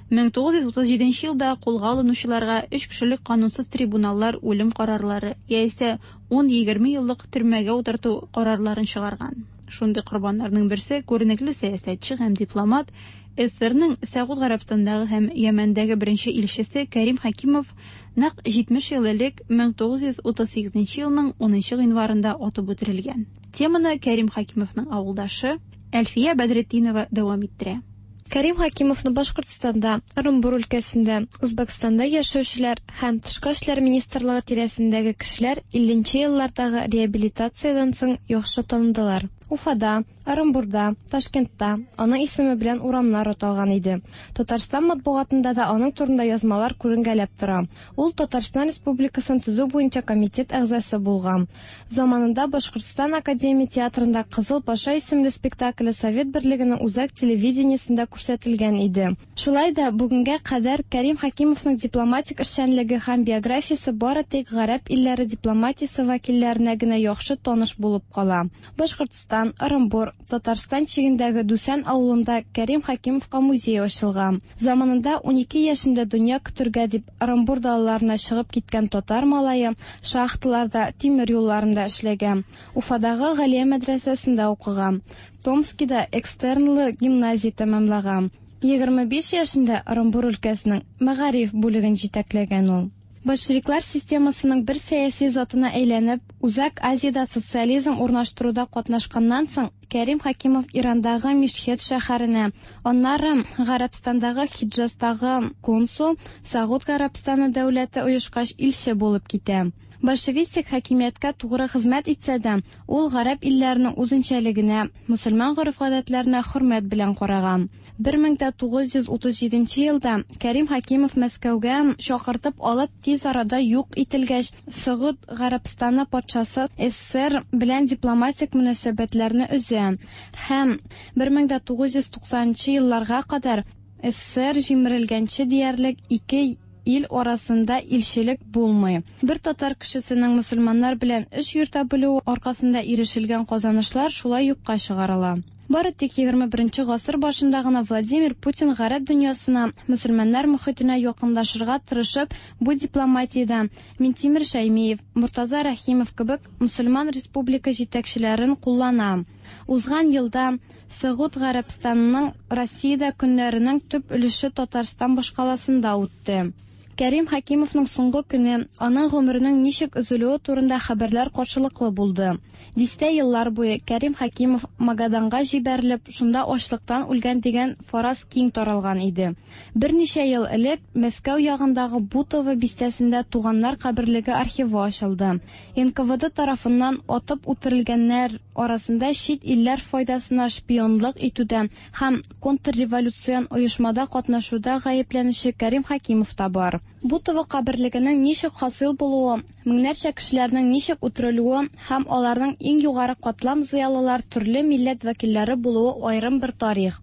1937 елда кулга алынучыларга өч кешелек канунсыз трибуналлар үлем карарлары яисә 10-20 еллык төрмәгә утырту карарларын чыгарган. Шундый корбаннарның берсе күренекле сәясәтче һәм дипломат, СССРның Сәгуд Гарәбстандагы һәм Йәмәндәге беренче илчесе Кәрим Хәкимов нәкъ 70 ел элек 1938 елның 10 гыйнварында атып үтерелгән. Теманы Кәрим Хәкимовның авылдашы Әлфия Бәдретдинова дәвам иттерә. Кәрим Хәкимовны Башкортстанда, Ырымбур өлкәсендә, Үзбәкстанда яшәүчеләр һәм Тышкы эшләр министрлыгы тирәсендәге кешеләр 50 нче еллардагы реабилитациядән соң яхшы таныдылар. Уфада, Ырымбурда, Ташкентта аның исеме белән урамнар аталган иде. Татарстан матбугатында да аның турында язмалар күренгәләп тора. Ул Татарстан Республикасын төзү буенча комитет әгъзасы булган. Заманында Башкортстан академия театрында Кызыл паша исемле спектакле Совет берлегенең үзәк телевидениесендә күрсәтелгән иде. Шулай да бүгенгә кадәр Кәрим Хәкимовның дипломатик эшчәнлеге һәм биографиясе бары тик гарәп илләре дипломатиясе вәкилләренә генә яхшы таныш булып кала. Башкортстан Башкортстан, Ырымбур, Татарстан чигендәге Дүсән авылында Кәрим Хәкимовка музей ачылган. Заманында 12 яшендә дөнья көтергә дип Ырымбур далаларына чыгып киткән татар малае шахталарда, тимер юлларында эшләгән. Уфадагы Галия мәдрәсәсендә укыган. Томскида экстернлы гимназия тәмамлаган. 25 яшендә Ырымбур өлкәсенең мәгариф бүлеген җитәкләгән ул. Большевиклар системасының бер сәяси затына әйләнеп, Үзәк Азиядә социализм урнаштыруда катнашканнан соң, Кәрим Хәкимов Ирандагы Мишхет шәһәренә, аннары Гарәбстандагы Хиджазтагы консул, Согуд Гарәбстаны дәүләте оешкач илче булып китә. Большевистик хакимияткә тугры хезмәт итсә дә, ул гарәп илләренең үзенчәлегенә, мөселман гореф-гадәтләренә хөрмәт белән караган. 1937 елда Кәрим Хәкимов Мәскәүгә чакыртып алып, тиз арада юк ителгәч, Согуд Гарәбстаны патшасы СССР белән дипломатик мөнәсәбәтләрне өзә һәм 1990 елларга кадәр СССР җимерелгәнче диярлек ике ил арасында илчелек булмый. Бер татар кешесенең мөселманнар белән эш йөртә белүе аркасында ирешелгән казанышлар шулай юкка чыгарыла. Бары тик 21 гасыр башында гына Владимир Путин гарәп дөньясына, мөселманнар мохитенә якынлашырга тырышып, бу дипломатиядә Минтимер Шәймиев, Мортаза Рәхимов кебек мөселман республика җитәкчеләрен куллана. Узган елда Согуд Гарәбстанының Россиядә көннәренең төп өлеше Татарстан башкаласында үтте. Кәрим Хәкимовның соңгы көне, аның гомеренең ничек өзелүе турында хәбәрләр каршылыклы булды. Дистә еллар буе Кәрим Хәкимов Магаданга җибәрелеп, шунда ачлыктан үлгән дигән фараз киң таралган иде. Берничә ел элек Мәскәү ягындагы Бутово бистәсендә туганнар каберлеге архивы ачылды. НКВД тарафыннан атып үтерелгәннәр арасында чит илләр файдасына шпионлык итүдә һәм контрреволюцион оешмада катнашуда гаепләнүче Кәрим Хәкимов та бар. Бутово каберлегенең ничек хасил булуы, меңнәрчә кешеләрнең ничек үтерелүе һәм аларның иң югары катлам зыялылар төрле милләт вәкилләре булуы аерым бер тарих.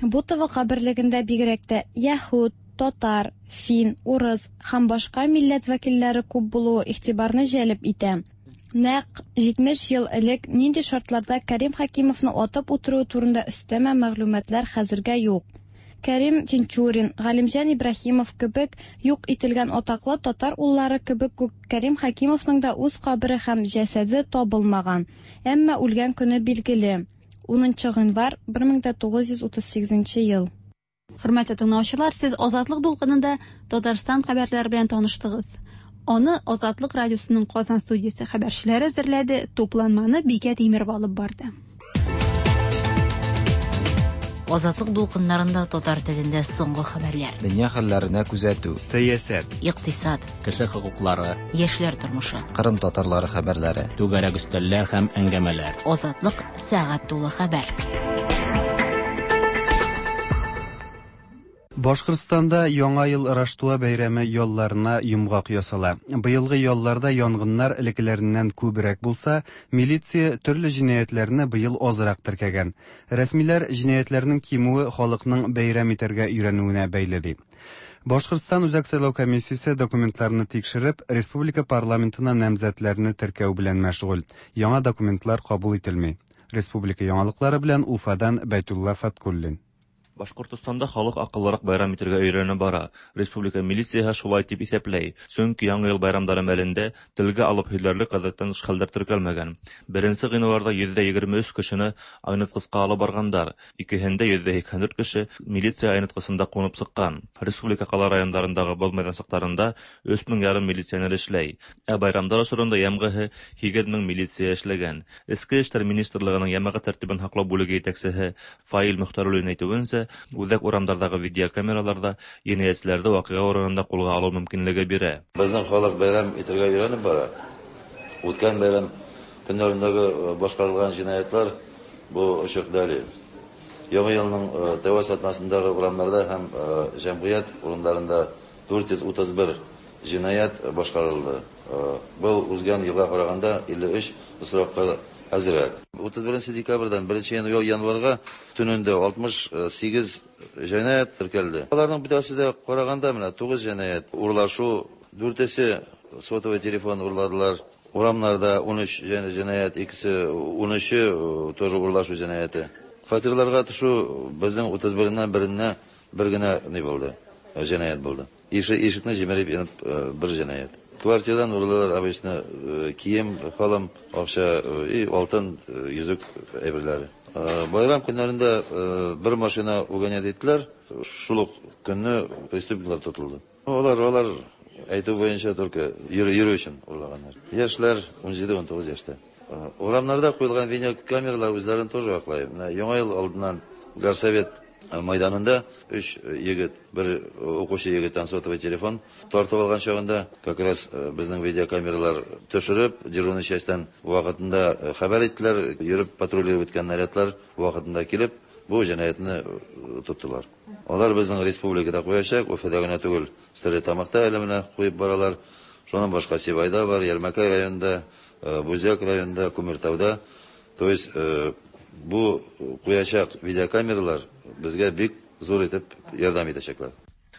Бутово каберлегендә бигрәк тә яһүд, татар, фин, урыс һәм башка милләт вәкилләре күп булуы игътибарны җәлеп итә. Нәкъ 70 ел элек нинди шартларда Кәрим Хәкимовны атып үтерүе турында өстәмә мәгълүматлар хәзергә юк. Кәрим Тинчурин, Галимҗан Ибраһимов кебек юк ителгән атаклы татар уллары кебек үк Кәрим Хәкимовның да үз кабере һәм җәсәде табылмаган. Әмма үлгән көне билгеле. 10 гыйнвар 1938 ел. Хөрмәтле тыңлаучылар, сез Азатлык дулкынында Татарстан хәбәрләре белән таныштыгыз. Аны Азатлык радиосының Казан студиясе хәбәрчеләре әзерләде, тупланманы Бикә Тимерова алып барды. Азатлык дулкыннарында татар телендә соңгы хәбәрләр. Дөнья хәлләренә күзәтү. Сәясәт. Икътисад. Кеше хокуклары. Яшьләр тормышы. Кырым татарлары хәбәрләре. Түгәрәк өстәлләр һәм әңгәмәләр. Азатлык сәгать тулы хәбәр. Башкортстанда Яңа ел Раштуа бәйрәме ялларына йомгак ясала. Быелгы ялларда янгыннар элеккеләреннән күбрәк булса, милиция төрле җинаятьләрне быел азрак теркәгән. Рәсмиләр җинаятьләрнең кимүе халыкның бәйрәм итәргә өйрәнүенә бәйле ди. Башкортстан Үзәк сайлау комиссиясе документларны тикшереп, республика парламентына намзәтләрне теркәү белән мәшгуль. Яңа документлар кабул ителми. Республика яңалыклары белән Уфадан Бәйтулла Фаткуллин. Башкортстанда халык акыллырак бәйрәм итәргә өйрәнә бара. Республика милицияһе шулай дип исәпләй. Чөнки Яңа ел байрамдары мәлендә телгә алып һөйләрлек гадәттән тыш хәлләр теркәлмәгән. Беренче гыйнварда 23 кешене айныткычка алып баргандар. Икеһендә 84 кеше милиция айныткысында кунып чыккан. Республика кала районнарындагы боз мәйданчыкларында 3500 милиционер эшләй. Ә байрамдар осорында йәмғиһе 8000 милиция эшләгән. Эчке эшләр министрлыгының йәмәгать тәртибен һаклау бүлеге җитәкчесе Фаил Мөхтәруллин әйтүенчә, үзәк урамдардагы видеокамераларда җинаятьчеләрне вакыйга урынында кулга алу мөмкинлеге бирә. Безнең халык бәйрәм итәргә өйрәнеп бара. Үткән бәйрәм көннәрендәге башкарылган җинаятьләр бу ачык дәлил. Яңа елның тәүге атнасындагы урамнарда һәм җәмгыять урыннарында 431 җинаять башкарылды. Был узган елга караганда 53 очракка әзрәк. 31 декабрьдән 1 январьга төнендә 68 җинаять теркәлде. Аларның бөтәсе дә караганда менә 9 җинаять урлашу, дүртесе сотовый телефон урладылар. Урамнарда 13 җинаять, икесе 13-е тоже урлашу җинаяте. Фатирларга төшү безнең 31-ннән беренә бер генә ни булды, җинаять булды. Ишекне җимереп инеп бер җинаять. Квартирадан урлыйлар обычно кием, салым, акча и алтын, йөзек әйберләре. Байрам көннәрендә бер машина угонять иттеләр. Шул ук көнне преступниклар тотылды. Алар әйтү буенча только йөрү өчен урлаганнар. Яшьләр 17-19 яшьтә. Урамнарда куелган видеокамералар үзләрен тоже аклый. Менә Яңа ел алдыннан Горсовет майданында 3 егет, бер укучы егеттән сотовый телефон тартып алган чагында как раз безнең видеокамералар төшереп, дежурный частьтан вакытында хәбәр иттеләр, йөреп патрулировать иткән нарядлар вакытында килеп, бу җинаятьне тоттылар. Алар безнең республикада куячак, Уфада гына түгел, Стәрлетамакта әле менә куеп баралар. Шуннан башка Сибайда бар, Ярмәкәй районында, Бүздәк районында, Күмертауда. То есть бу куячак видеокамералар безгә бик зур итеп ярдәм итәчәкләр.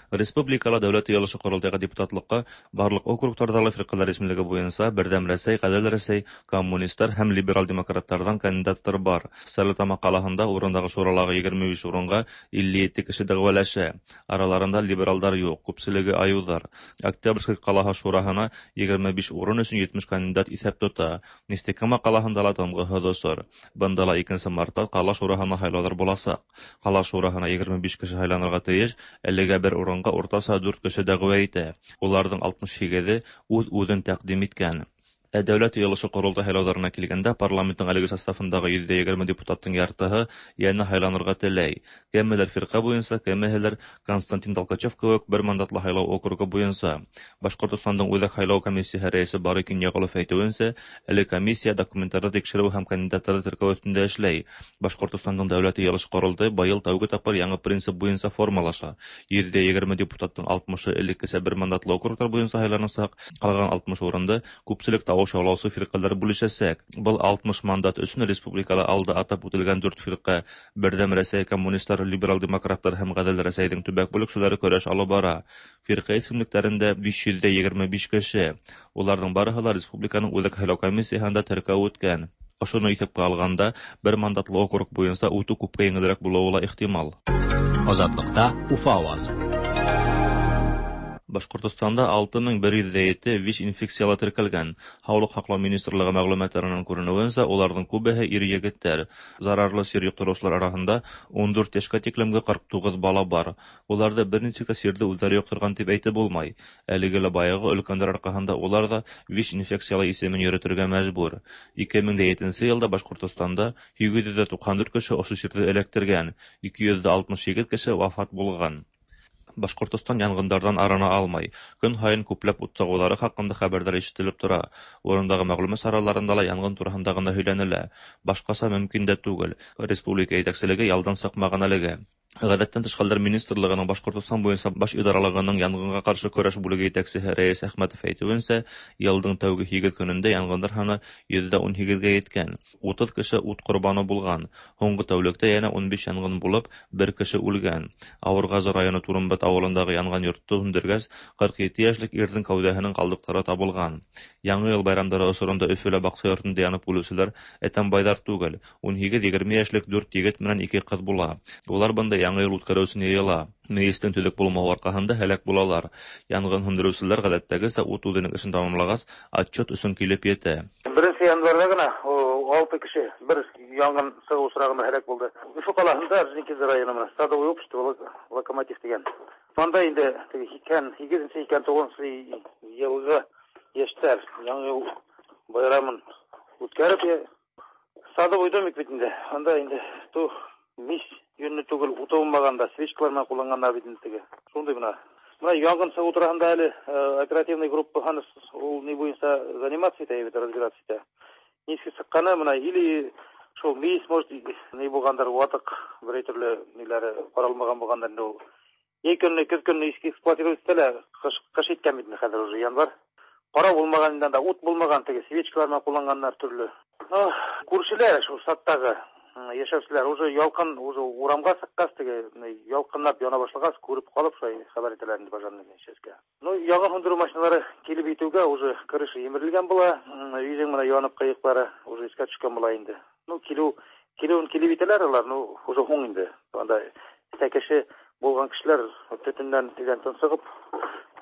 Республикала Дәүләт Ыелышы Корылтайга депутатлыкка барлык округлардагы фиркалар исемлеге буенча Бердәм Рәсәй, Гадел Рәсәй, коммунистлар һәм либерал-демократлардан кандидатлар бар. Стәрлетамак калаһында урындагы шуралагы 25 урынга 57 кеше дәгъвалаша. Араларында либералдар юк, күпчелеге аюлар. Октябрьский калаһы шураһына 25 урын өчен 70 кандидат исәп тота. Нефтекама калаһында ла тынгыһыҙ осор. Бында ла 2 мартта ҡала шураһына һайлауҙар буласаҡ. Ҡала шураһына 25 кеше һайланырға тейеш, әлегә бер урынға уртаса 4 кеше дәғүә итә. Уларҙың 68-е үҙ-үҙен тәҡдим иткән. Ә Дәүләт Йыйылышы Ҡоролтай һайлауҙарына килгәндә, парламенттың әлеге составындағы 120 депутаттың яртыһы йәнә һайланырға теләй. Кемелер фирҡә буйынса, кемеһелер Константин Толкачев кеүек бер мандатлы һайлау округы буйынса. Башҡортостандың Үҙәк һайлау комиссияһы рәйесе Барый Кинйәғолов әйтеүенсә, әле комиссия документтарҙы тикшереү һәм кандидаттарҙы теркәү өҫтөндә эшләй. Башҡортостандың Дәүләт Йыйылышы Ҡоролтайы быйыл тәүге тапҡыр яңы принцип буйынса формалаша. 120 депутаттың 60-ы элеккесә бер мандатлы округтар буйынса һайланасаҡ, ҡалған 60 урынды күпселек тауыш яулаусы фирҡәләр бүлешәсәк. Был 60 мандат өсөн республикала алда атап үтелгән 4 фирҡә Берҙәм Рәсәй, коммунистлар, либерал-демократтар һәм Ғәҙел Рәсәйҙең төбәк бүлексәләре көрәш алып бара. Фирҡә исемлектәрендә 525 кеше. Уларҙың барыһы ла республиканың Үҙәк һайлау комиссияһында теркәү үткән. Ошоно иҫәпкә алғанда, бер мандатлы округ буйынса үтеү күпкә еңелерәк булыуы ла ихтимал. Азатлыҡта Уфа ауазы. Башҡортостанда 6107 ВИЧ инфекцияла теркәлгән. Һаулыҡ һаҡлау министрлығы мәғлүмәттәренән күренеүенсә, уларҙың күбеһе ир-егеттәр. Зарарлы сир йоҡтороусылар араһында 14 йәшкә тиклемге 49 бала бар. Уларҙы бер нисек тә сирҙе үҙҙәре йоҡторған тип әйтеп булмай. Әлеге лә баяғы өлкәндәр арҡаһында улар ҙа ВИЧ инфекциялы исемен йөрөтөргә мәжбүр. 2007 йылда Башҡортостанда 894 кеше ошо сирҙе эләктергән, 268 кеше вафат булған. Башҡортостан янғындарҙан арына алмай. Көн һайын күпләп ут сағыуҙары хаҡында хәбәрҙәр ишетелеп тора. Урындағы мәғлүмәт сараларында ла янғын тураһында ғына һөйләнелә. Башҡаса мөмкин дә түгел. Республика етәкселеге ялдан сыҡмаған әлегә. Ғәҙәттән тыш хәлдәр министрлығының Башҡортостан буйынса баш идаралығының янғынға ҡаршы көрәш бүлеге етәксеһе Рәйес Әхмәтов әйтеүенсә, йылдың тәүге 8 көнөндә янғындар һаны 18%-гә еткән. 30 кеше ут ҡорбаны булған. Һуңғы тәүлектә йәнә 15 янғын булып, бер кеше үлгән. Ауырғазы районы Турымбат ауылындағы янған йортто һүндергәс, 47 йәшлек ирҙең кәүҙәһенең ҡалдыҡтары табылған. Яңы йыл байрамдары осоронда Өфөлә баҡса йортонда янып үлеүселәр әтәмбайҙар түгел. 18-20 йәшлек 4 егет менән 2 ҡыҙ була. Улар бында яңы йыл үткәреү өсөн йыйыла. Мейестең төҙөк булмауы арҡаһында һәләк булалар. Янғын һүндереүселәр ғәҙәттәгесә ут үҙенең эшен тамамлағас, отчет өсөн килеп етә. 1 январҙа ғына 6 кеше бер янғын сығыу осрағында һәләк булды. Өфө ҡалаһында Орджоникидзе районы менән Садовое общество Локомотив тигән. Унда инде 88-89 йылғы йәштәр яңы йыл байрамын үткәреп, Садовый домик бит инде. Унда инде мис йөнлө түгел, уты булмағанда свечкалар менән ҡулланғандар бит инде теге. Шундай бына. Бына янгын сығыу тураһында әле оперативный группа ул ни буйынса заниматься итә бит, разбираться итә. Нисек сыҡҡаны бына или шул мейес, может, ни булғандар, ватыҡ берәй төрлө ниләре ҡаралмаған булғандар инде ул. Йәй көнө, көҙ көнө эксплуатировать итә лә, ҡыш иткән бит инде хәҙер уже январь. Ҡарау булмаған инде анда, ут булмаған, теге свечкалар менән ҡулланғандар төрлө. Күршеләр шул саттағы Яшәүчеләр уже ялкын уже урамга чыккач, теге ялкынлап яна башлагач, күреп калып, шулай хәбәр итәләр инде пожарный частька. Ну, янгын сүндерү машиналары килеп җитүгә уже крыша җимерелгән була, өйнең менә янып кыеклары уже искә төшкән була инде. Ну, килү килүен килеп итәләр алар, ну, уже һуң инде. Анда кеше булган кешеләр төтеннән дигән тонсыгып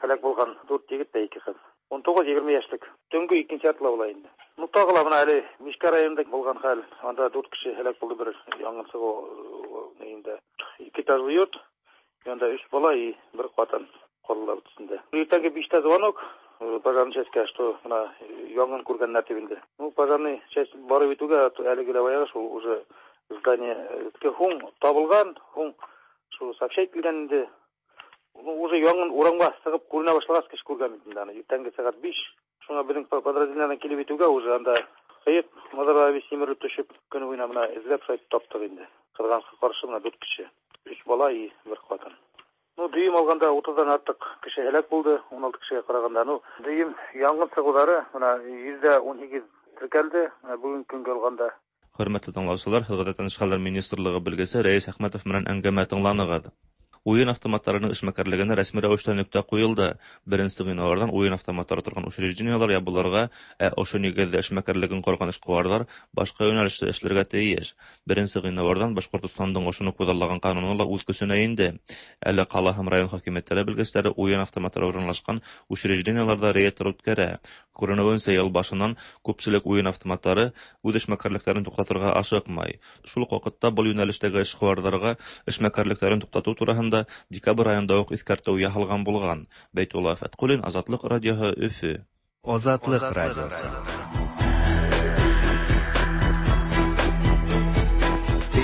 һәлак булган 4 егет тә 2 кыз. 19-20 яшьлек. Төнге икенче яртыла була инде. Ну, тагы ла менә әле Мишкә районында булган хәл. Анда 4 кеше һәлак булды бер янгын чыгу инде. Ике этажлы йорт, янда 3 бала и бер хатын калдылар бөтенсендә. Иртәнге 5тә звонок пожарный частька, что менә янгын күргәннәр дип инде. Ну, пожарный часть барып җитүгә әлеге дә баягы шул уже здание һуң табылган, һуң шул сообщать килгән инде. Ну, уже янгын урамга чыгып күренә башлагач кеше күргән бит инде аны. Иртәнге сәгать 5. Шуңа безнең подразделениедән килеп җитүгә уже анда кыек мазарлар бит симерелеп төшеп, көне буена менә эзләп шулай таптык инде. Кызганычка каршы менә 4 кеше. 3 бала и бер хатын. Ну, дөйем алганда 30-дан артык кеше һәлак булды, 16 кешегә караганда. Ну, дөйем янгын чыгулары менә 18% теркәлде, менә бүгенге көнгә алганда. Хөрмәтле тыңлаучылар, Гадәттән тыш хәлләр министрлыгы белгесе Рәис Әхмәтов менән әңгәмә тыңланыгыз. Уен автоматларының эшмәкәрлегенә рәсми рәвештә нөктә куелды. Беренче гыйнвардан уен автоматлары торган учреждениеләр ябылырга, ә ошо нигездә эшмәкәрлеген корган эшкуарлар башка юнәлештә эшләргә тиеш. Беренче гыйнвардан Башкортостандың ошоны күзаллаган кануны ла үз көченә инде. Әле кала һәм район хакимиятләре белгечләре уен автоматлары урынлашкан учреждениеләрдә рейдлар үткәрә. Күренүенчә, ел башыннан күпчелек уен автоматлары үз эшмәкәрлекләрен туктатырга ашыкмай. Шул ук вакытта был юнәлештәге эшкуарларга эшмәкәрлекләрен туктату турасында декабрь аенда ук искәртү яһалган булган. Бәйтулла Фәткуллин, Азатлык радиоһы, Өфө. Азатлык радиосы.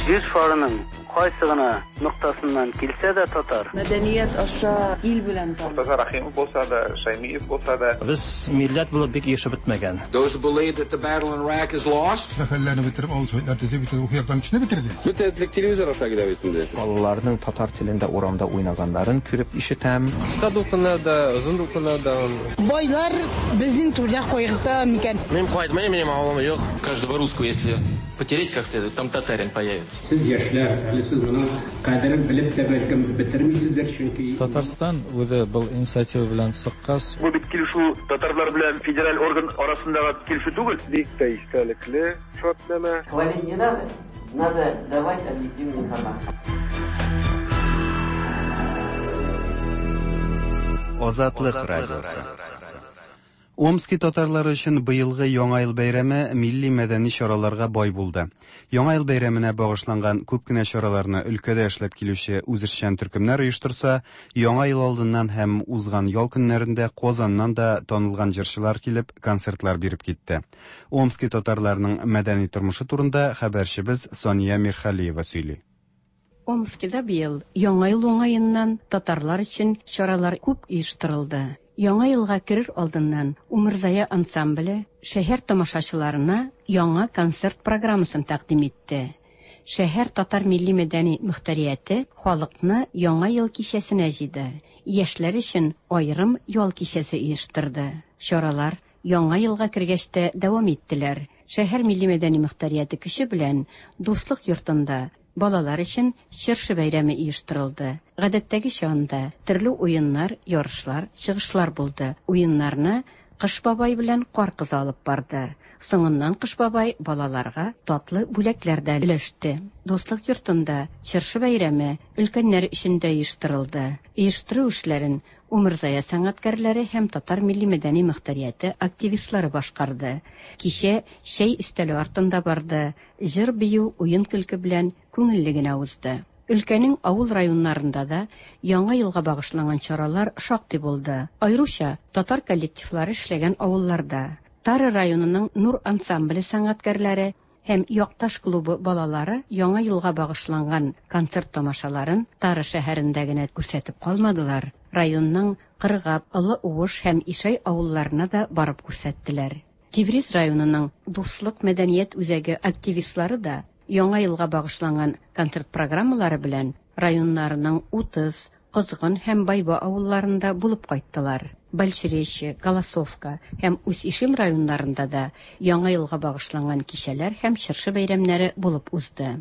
Җир шарының кайсы гына ноктасыннан килсә дә татар. Мәдәният аша ил белән таныш. Мортаза Рахимов булса да, Шаймиев булса да. Без милләт булып бик ирешеп бетмәгән. Those who believe that the battle in Iraq is lost. Мәхәлләне бетереп, авыл советлар төзеп, бөтен рухи яктан кешене бетерде. Бөтен этлек телевизор аша килә бит инде. Балаларның татар телендә урамда уйнаганнарын күреп ишетәм. Кыска дулкыннарда, озын дулкыннарда. Байлар безнең түрдә кайгырта микән? Мин кайтмыйм, минем авылым юк. Каждого русского, если потереть как следует, там татарин появится. Сез яшьләр, әле сез моның кадерен белеп тә бәлкем бетермисездер, чөнки Татарстан үзе был инициатива белән чыккач, Бу бит килешү татарлар белән федераль орган арасындагы килешү түгел. Бик тә истәлекле шартнамә. Хвалить не надо, надо давать объективную информацию. Азатлык радиосы. Омски татарлары өчен быелгы Яңа ел бәйрәме милли мәдәни чараларга бай булды. Яңа ел бәйрәменә багышланган күп кенә чараларны өлкәдә эшләп килүче үзешчән төркемнәр оештырса, Яңа ел алдыннан һәм узган ял көннәрендә Казаннан да танылган җырчылар килеп концертлар биреп китте. Омски татарларының мәдәни тормышы турында хәбәрчебез Сания Мирхалиева сөйли. Омскида быел Яңа ел уңаеннан татарлар өчен чаралар күп оештырылды. Яңа елга керер алдыннан Умырзая ансамбле шәһәр тамашачыларына яңа концерт программасын тәкъдим итте. Шәһәр татар милли мәдәни мөхтәрияте халыкны Яңа ел кичәсенә җыйды. Яшьләр өчен аерым ял кичәсе оештырды. Чаралар Яңа елга кергәч тә дәвам иттеләр. Шәһәр милли мәдәни мөхтәрияте көче белән Дуслык йортында балалар өчен чыршы бәйрәме оештырылды. Гадәттәгечә анда төрле уеннар, ярышлар, чыгышлар булды. Уеннарны Кыш бабай белән Кар кызы алып барды. Соңыннан Кыш бабай балаларга татлы бүләкләр дә өләште. Дуслык йортында чыршы бәйрәме өлкәннәр өчен дә оештырылды. Оештыру эшләрен Умырзая сәнгатькәрләре һәм татар милли мәдәни мөхтәрияте активистлары башкарды. Кичә чәй өстәле артында барды. Җыр-бию, уен-көлке белән күңелле генә узды. Өлкәнең авыл районнарында да Яңа елга багышланган чаралар шактый булды. Аеруча татар коллективлары эшләгән авылларда. Тара районының Нур ансамбле сәнгатькәрләре һәм Якташ клубы балалары Яңа елга багышланган концерт тамашаларын Тара шәһәрендә генә күрсәтеп калмадылар. Районның Кыргап, Олы Уыш һәм Ишай авылларына да барып күрсәттеләр. Тиврис районының Дуслык мәдәният үзәге активистлары да Яңа елга багышланган концерт программалары белән районнарының 30, Козгын һәм Байба авылларында булып кайттылар. Большеречье, Голосовка һәм Усть-Ишем районнарында да Яңа елга багышланган кичәләр һәм чыршы бәйрәмнәре булып узды.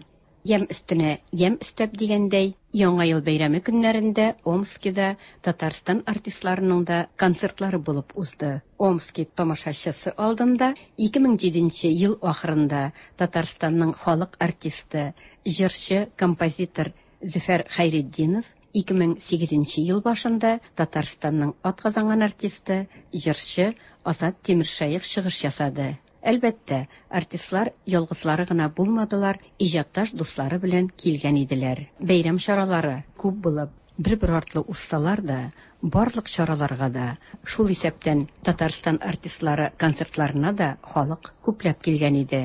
Ямь өстенә ямь өстәп дигәндәй, Яңа ел бәйрәме көннәрендә Омскида Татарстан артистларының да концертлары булып узды. Омски тамашачысы алдында 2007 нче ел ахырында Татарстанның халык артисты, җырчы, композитор Зөфәр Хәйретдинов, 2008 нче ел башында Татарстанның атказанган артисты, җырчы Азат Тимершәех чыгыш ясады. Әлбәттә, артистлар ялгызлары гына булмадылар, иҗатташ дуслары белән килгән иделәр. Бәйрәм чаралары күп булып, бер-бер артлы узсалар да, барлык чараларга да, шул исәптән Татарстан артистлары концертларына да халык күпләп килгән иде.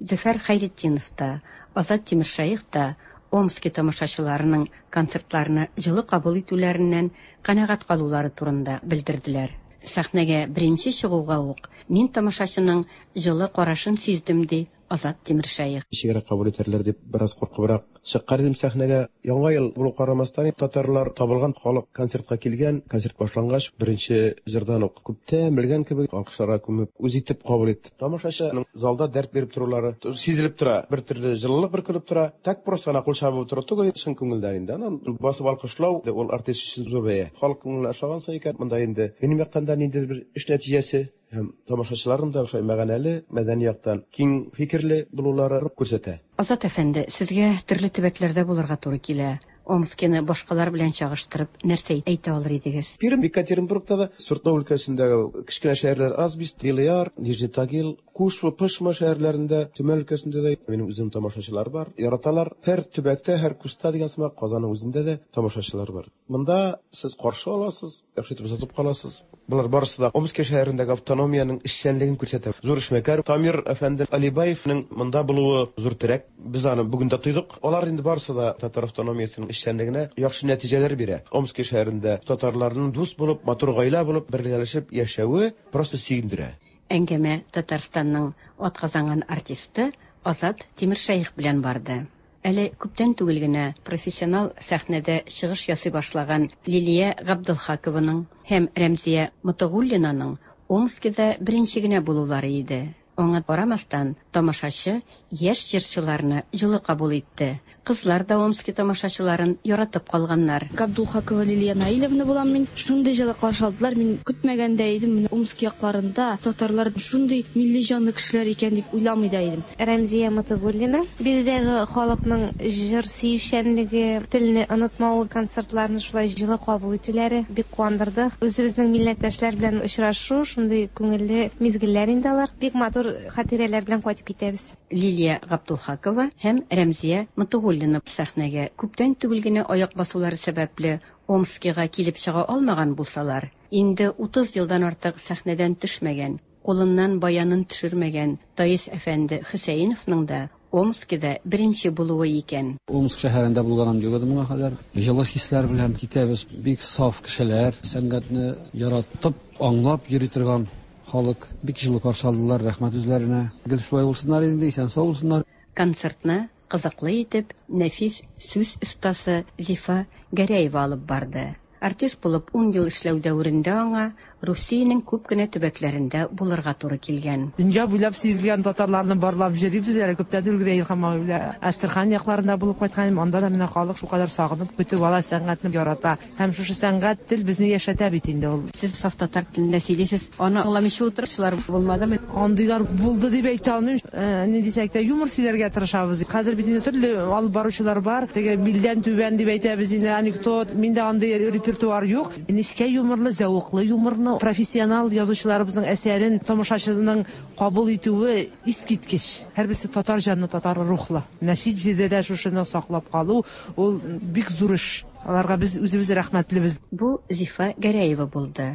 Зөфәр Хәйретдинов та, Азат Тимершәех та Омски тамашачыларының концертларны җылы кабул итүләреннән канәгать калулары турында белдерделәр. Сәхнәгә беренче чыгуга ук мин тамашачының җылы карашын сиздем, ди Азат Тимершәех. Ничегрәк кабул итәрләр дип бераз куркыбрак чыккан идем сәхнәгә. Яңа ел булу карамастан, татарлар табылган, халык концертка килгән. Концерт башлангач, беренче җырдан ук күптән белгән кебек алкышларга күмеп, үз итеп кабул итте. Тамашачының залда дәрт биреп торулары сизелеп тора, бер төрле җылылык бөркелеп тора. Так просто гына кул чабып утыру түгел, чын күңелдән инде. Аннан басып алкышлау, ул артист өчен зур бәя. Халык күңеленә ошагансың икән, монда инде минем яктан да ниндидер бер эш нәтиҗәсе һәм тамашачыларның да шулай мәгънәле, мәдәни яктан киң фикерле булулары күрсәтә. Азат әфәнде, сезгә төрле төбәкләрдә булырга туры килә. Омскины башкалар белән чагыштырып нәрсә әйтә алыр идегез? Пермь, Екатеринбургта да, Свердлов өлкәсендәге кечкенә шәһәрләр Асбест, Белый Яр, Нижний Тагил, Кушва, Пышма шәһәрләрендә, Төмән өлкәсендә дә минем үземнең тамашачылар бар, яраталар. Һәр төбәктә, һәр куста дигән сымак, Казанның үзендә дә тамашачылар бар. Монда сез каршы аласыз, яхшы итеп озатып каласыз. Болар барысы да Омски шәһәрендәге автономиянең эшчәнлеген күрсәтә. Зур эшмәкәр Тамир әфәнде Алибаевның монда булуы зур терәк. Без аны бүген дә тойдык. Алар инде барысы да татар автономиясенең эшчәнлегенә яхшы нәтиҗәләр бирә. Омски шәһәрендә татарларның дус булып, матур гаилә булып, бергәләшеп яшәве просто сөендерә. Әңгәмә Татарстанның атказанган артисты Азат Тимершәех белән барды. Әле күптән түгел генә профессионал сәхнәдә чыгыш ясый башлаган Лилия Габделхакованың һәм Рәмзия Мотыгуллинаның Омскида беренче генә булулары иде. Аңа карамастан, тамашачы яшь җырчыларны җылы кабул итте. Кызлар да Омски тамашачыларын яратып калганнар. Габдулхакова Лилия Наилевна булам мин. Шундый җылы каршы алдылар, мин көтмәгән дә идем, менә Омски якларында татарлар шундый милли җанлы кешеләр икән дип уйламый да идем. Рәмзия Мотыгуллина, Биредәге халыкның җыр сөючәнлеге, телне онытмавы, концертларны шулай җылы кабул итүләре бик куандырды. Үзебезнең милләттәшләр белән очрашу, шундый күңелле мизгелләр инде алар. Бик матур хатирәләр белән кайтып китәбез. Лилия Габдулхакова һәм Рәмзия Мотыгуллина сәхнәгә күптән түгел генә аяк басулары сәбәпле Омскига килеп чыга алмаган булсалар, инде 30 елдан артык сәхнәдән төшмәгән, кулыннан баянын төшермәгән Таис әфәнде Хөсәеновның да Омскида беренче булуы икән. Омск шәһәрендә булганым юк иде моңа кадәр. Җылы хисләр белән китәбез. Бик саф кешеләр, сәнгатьне яратып, аңлап йөри торган халык. Бик җылы каршы алдылар, рәхмәт үзләренә. Гел шулай булсыннар инде, исән-сау булсыннар. Концертны кызыклы итеп нәфис сүз остасы Зифа Гәрәева алып барды. Артист булып ун ел эшләү дәверендә аңа Русиянең күп кенә төбәкләрендә булырга туры килгән. Дөнья буйлап сибелгән татарларны барлап йөрибез әле. Күптән түгел генә Илһам абый белән Әстерхан якларында булып кайткан идем. Анда да менә халык шулкадәр сагынып көтеп ала, сәнгатьне ярата. Һәм шушы сәнгать, тел безне яшәтә бит инде ул. Сез саф татар телендә сөйлисез, аны аңламыйча утыручылар булмадымы? Андыйлар булды дип әйтә алмыйм. Ни дисәк тә, юмор сөйләргә тырышабыз. Хәзер бит инде төрле алып баручылар бар. Теге билдән түбән дип әйтәбез инде, анекдот. Миндә андый репертуар юк. Нечкә юморлы, зәвыклы юморны, профессионал язучыларыбызның әсәрен тамашачының кабул итүе искиткеч. Һәрберсе татар җанлы, татар рухлы. Менә чит җирдә дә шушыны саклап калу, ул бик зур эш. Аларга без үзебез рәхмәтлебез. Бу Зифа Гәрәева булды.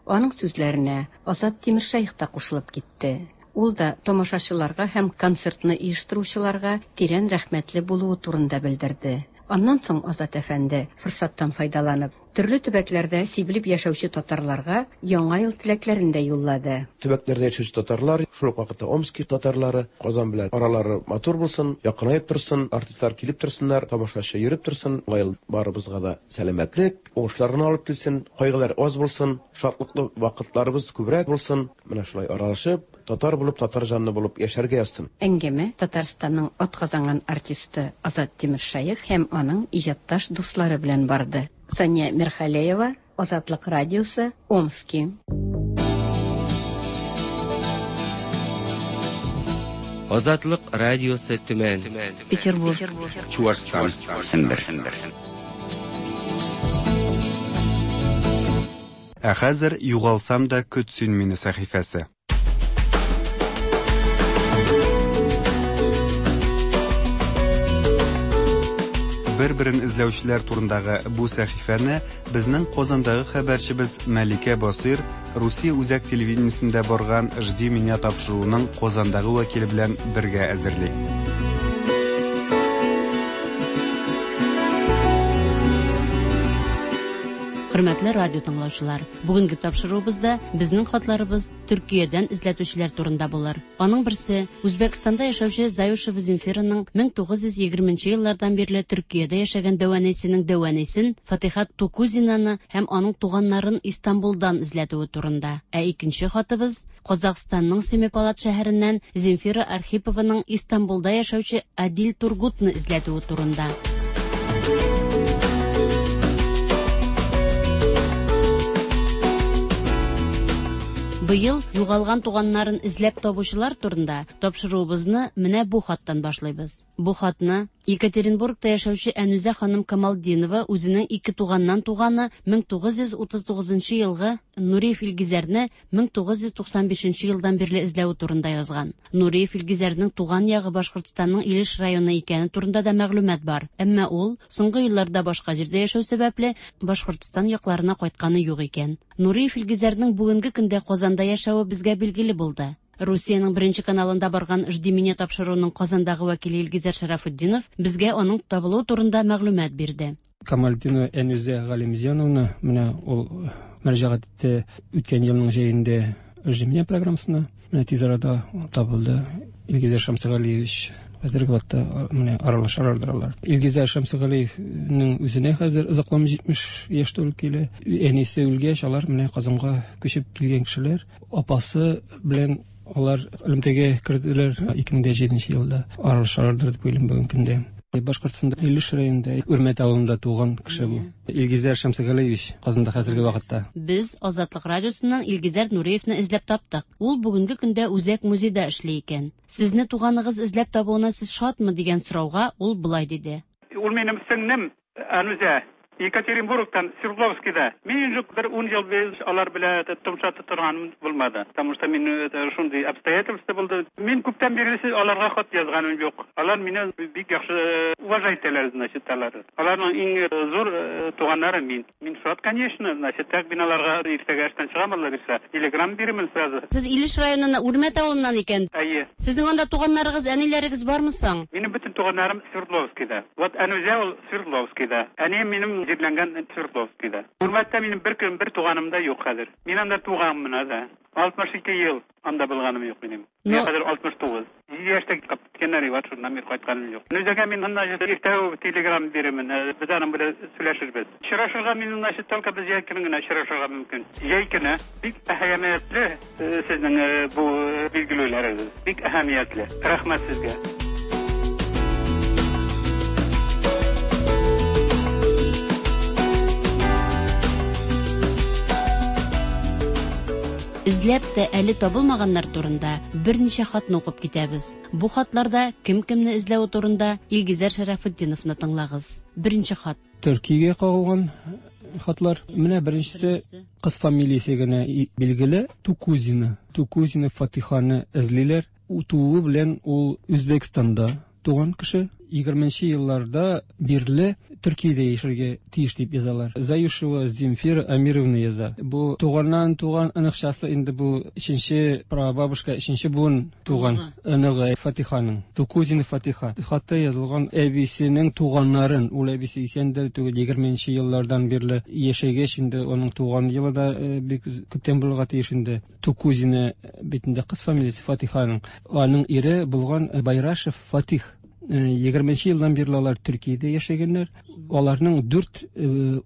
Аның сүзләренә Азат Тимершәех та кушылып китте. Ул да тамашачыларга һәм концертны оештыручыларга тирән рәхмәтле булуы турында белдерде. Аннан соң Азат әфәнде, форсаттан файдаланып, Төрле төбәкләрдә сибелеп яшәүче татарларга Яңа ел теләкләрен дә юллады. Төбәкләрдә яшәүче татарлар, шул ук вакытта Омски татарлары, Казан белән аралары матур булсын, якынаеп торсын, артистлар килеп торсыннар, тамашачы йөреп торсын. Яңа ел барыбызга да сәламәтлек, уңышлар гына алып килсен, кайгылар аз булсын, шатлыклы вакытларыбыз күбрәк булсын. Менә шулай аралашып, татар булып, татар җанлы булып яшәргә язсын. Әңгәмә Татарстанның атказанган артисты Азат Тимершәех һәм аның иҗатташ дуслары белән барды. Сания Мирхалеева, Азатлык радиосы, Омски. Азатлык радиосы Төмән. Петербург. Чуашстан. Сембер. Ә хәзер Югалсам да көт син мине сәхифәсе. Бер-берен эзләүчеләр турындагы бу сәхифәне безнең Казандагы хәбәрчебез Мәликә Басыйр Русия үзәк телевидениесендә барган Жди меня тапшыруының Казандагы вәкиле белән бергә әзерли. Хөрмәтле радио тыңлаучылар, бүгенге тапшыруыбызда безнең хатларыбыз Төркиядән эзләтүчеләр турында булыр. Аның берсе Үзбәкстанда яшәүче Заюшева Земфираның 1920 нче еллардан бирле Төркиядә яшәгән дәү әнисенең дәү әнисен Фатиха Тукузинаны һәм аның туганнарын Истанбулдан эзләтүе турында. Ә икенче хатыбыз Казахстанның Семипалат шәһәреннән Земфира Архипованың Истанбулда яшәүче Адил Тургутны эзләтүе турында. Быел югалган туганнарын эзләп табучылар турында тапшыруыбызны менә бу хаттан башлыйбыз. Бу хатны Екатеринбургта яшәүче Әнүзә ханым Камалтдинова үзенең ике туганнан туганы 1939 елгы Нуриев Илгизәрне 1995 елдан бирле эзләве турында язган. Нуриев Илгизәрнең туган ягы Башкортстанның Илеш районы икәне турында да мәгълүмат бар. Әмма ул, соңгы елларда башка җирдә яшәү сәбәпле, Башкортстан якларына кайтканы юк икән. Нуриев Илгизәрнең бүгенге көндә Казанда яшәве безгә билгеле булды. Русиянең Беренче каналында барган Жди меня тапшыруының Казандагы вәкиле Илгизәр Шәрәфетдинов безгә аның табылуы турында мәгълүмат бирде. Камалтдинова Әнүзә Галимзяновна менә ул мөрәҗәгать итте үткән елның җәендә Жди меня программасына. Менә тиз арада табылды. Илгизәр Шәмсегалиевич хәзерге вакытта менә аралашалардыр алар. Илгизәр Шәмсегалиевнең үзенә хәзер озакламый 70 яшь тулып килә. Әнисе үлгәч, алар менә Казанга күчеп килгән кешеләр. Апасы белән алар элемтәгә керделәр 2007 елда. Аралашалардыр дип уйлыйм бүгенге көндә. Башкортстанда Илеш районында Үрмәт авылында туган кеше бу. Илгизәр Шәмсегалиевич Казанда хәзерге вакытта. Без Азатлык радиосыннан Илгизәр Нуриевны эзләп таптык. Ул бүгенге көндә Үзәк музейда эшли икән. Сезне туганыгыз эзләп табуына сез шатмы дигән сорауга ул болай диде. Ул минем сеңнем Әнүзә. Екатеринбургтан, Свердловскида. Мин инде бер ун ел без алар белән томша торганым булмады. Потому что мин шундый обстоятельства булды. Мин күптән бирле аларга хат язганым юк. Алар мине бик яхшы уважать итәләр, значит, алар. Аларның иң зур туганнары мин. Мин шат, конечно, значит, так мин аларга иртәгә эштән чыгам, Алла бирсә. Телеграм бирермен сразу. Сез Илеш районыннан Үрмәт авылыннан икән. Әйе. Сезнең анда туганнарыгыз, әниләрегез бармы соң? Минем бөтен туганнарым Свердловскида. Вот Әнүзә ул Свердловскида. Әнием минем җирләнгән Свердловскида. Үрмәттә минем бер көн бер туганым да юк хәзер. Мин анда туганмын да. 62 ел анда булганым юк минем. Мин хәзер 69. 7 яшьтә киткәннәр вот шуннан бер кайтканым юк. Әнүзәгә мин значит иртә телеграм бирермен. Без аның белән сөйләшербез. Очрашырга мин значит только без җәй көне генә очрашырга мөмкин. Җәй көне бик әһәмиятле сезнең бу билгеләүләрегез. Бик әһәмиятле. Рәхмәт сезгә. Эзләп тә әле табылмаганнар турында берничә хатны укып китәбез. Бу хатларда кем кемне эзләве турында Илгизәр Шәрәфетдиновны тыңлагыз. Беренче хат. Төркиягә кагылган хатлар. Менә беренчесе кыз фамилиясе генә билгеле. Тукузина. Тукузина Фатиханы эзлиләр. Тууы белән ул Үзбәкстанда туган кеше. 20 елларда бирле Төркиядә яшәргә тиеш дип язалар. Заюшева Земфира Амировна яза. Бу туганнан туган оныкчасы инде бу өченче прабабушка, өченче буын туган оныгы Фатиханың. Тукузина Фатиха. Хатта язылган әбисенең туганнарын, ул әбисе исәндер түгел, 20 еллардан бирле яшәгәч инде аның туган елы да бик күптән булырга тиеш инде. Тукузина бит инде кыз фамилиясе Фатиханың. Аның ире булган Байрашев Фатих. 20 елдан бирле алар Төркиядә яшәгәннәр. Аларның 4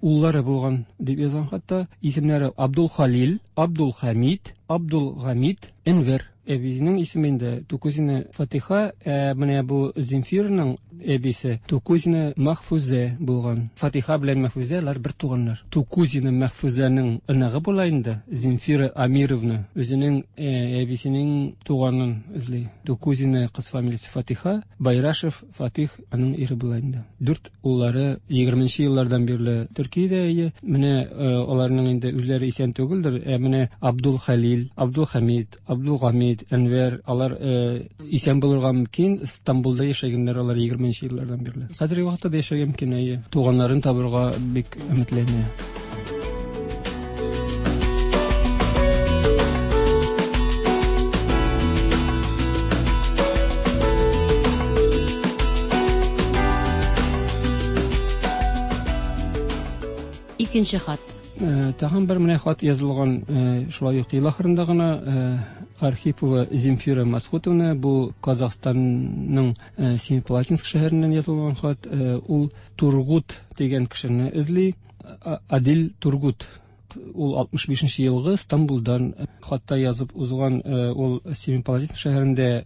уллары булган дип язган хатта. Исемнәре Абдул Халил, Абдул Хамид, Абдул Гамид, Энвер. Әбисенең исеме инде Тукузина Фатиха, ә менә бу Земфирның әбисе Тукузина Махфузе булган. Фатиха белән Махфузе алар бер туганнар. Тукузина Махфузаның оныгы була инде Земфира Амировна. Үзенең әбисенең туганын эзли. Тукузина кыз фамилиясе Фатиха, Байрашев Фатих аның ире була инде. 4 уллары 20 еллардан бирле Төркиядә ие. Менә аларның инде үзләре исән түгелдер. Ә менә Абдул Халил, Абдул Хамид, Абдул Гамид, Әнвәр алар исән булырга мөмкин. Стамбулда яшәгәннәр алар 20 еллардан бирле. Хәзерге вакытта да яшәргә мөмкин, әйе. Туганнарын табырга бик өметләнә. Икенче хат. Тагын бер менә хат язылган, шулай ук ел ахырында гына Архипова Земфира Масхутовна, бу Казахстанның Семипалатинск шәһәреннән язылган хат. Ул Тургут дигән кешене эзли. Адил Тургут. Ул 65 елгы Стамбулдан хатта язып узган. Ул Семипалатинск шәһәрендә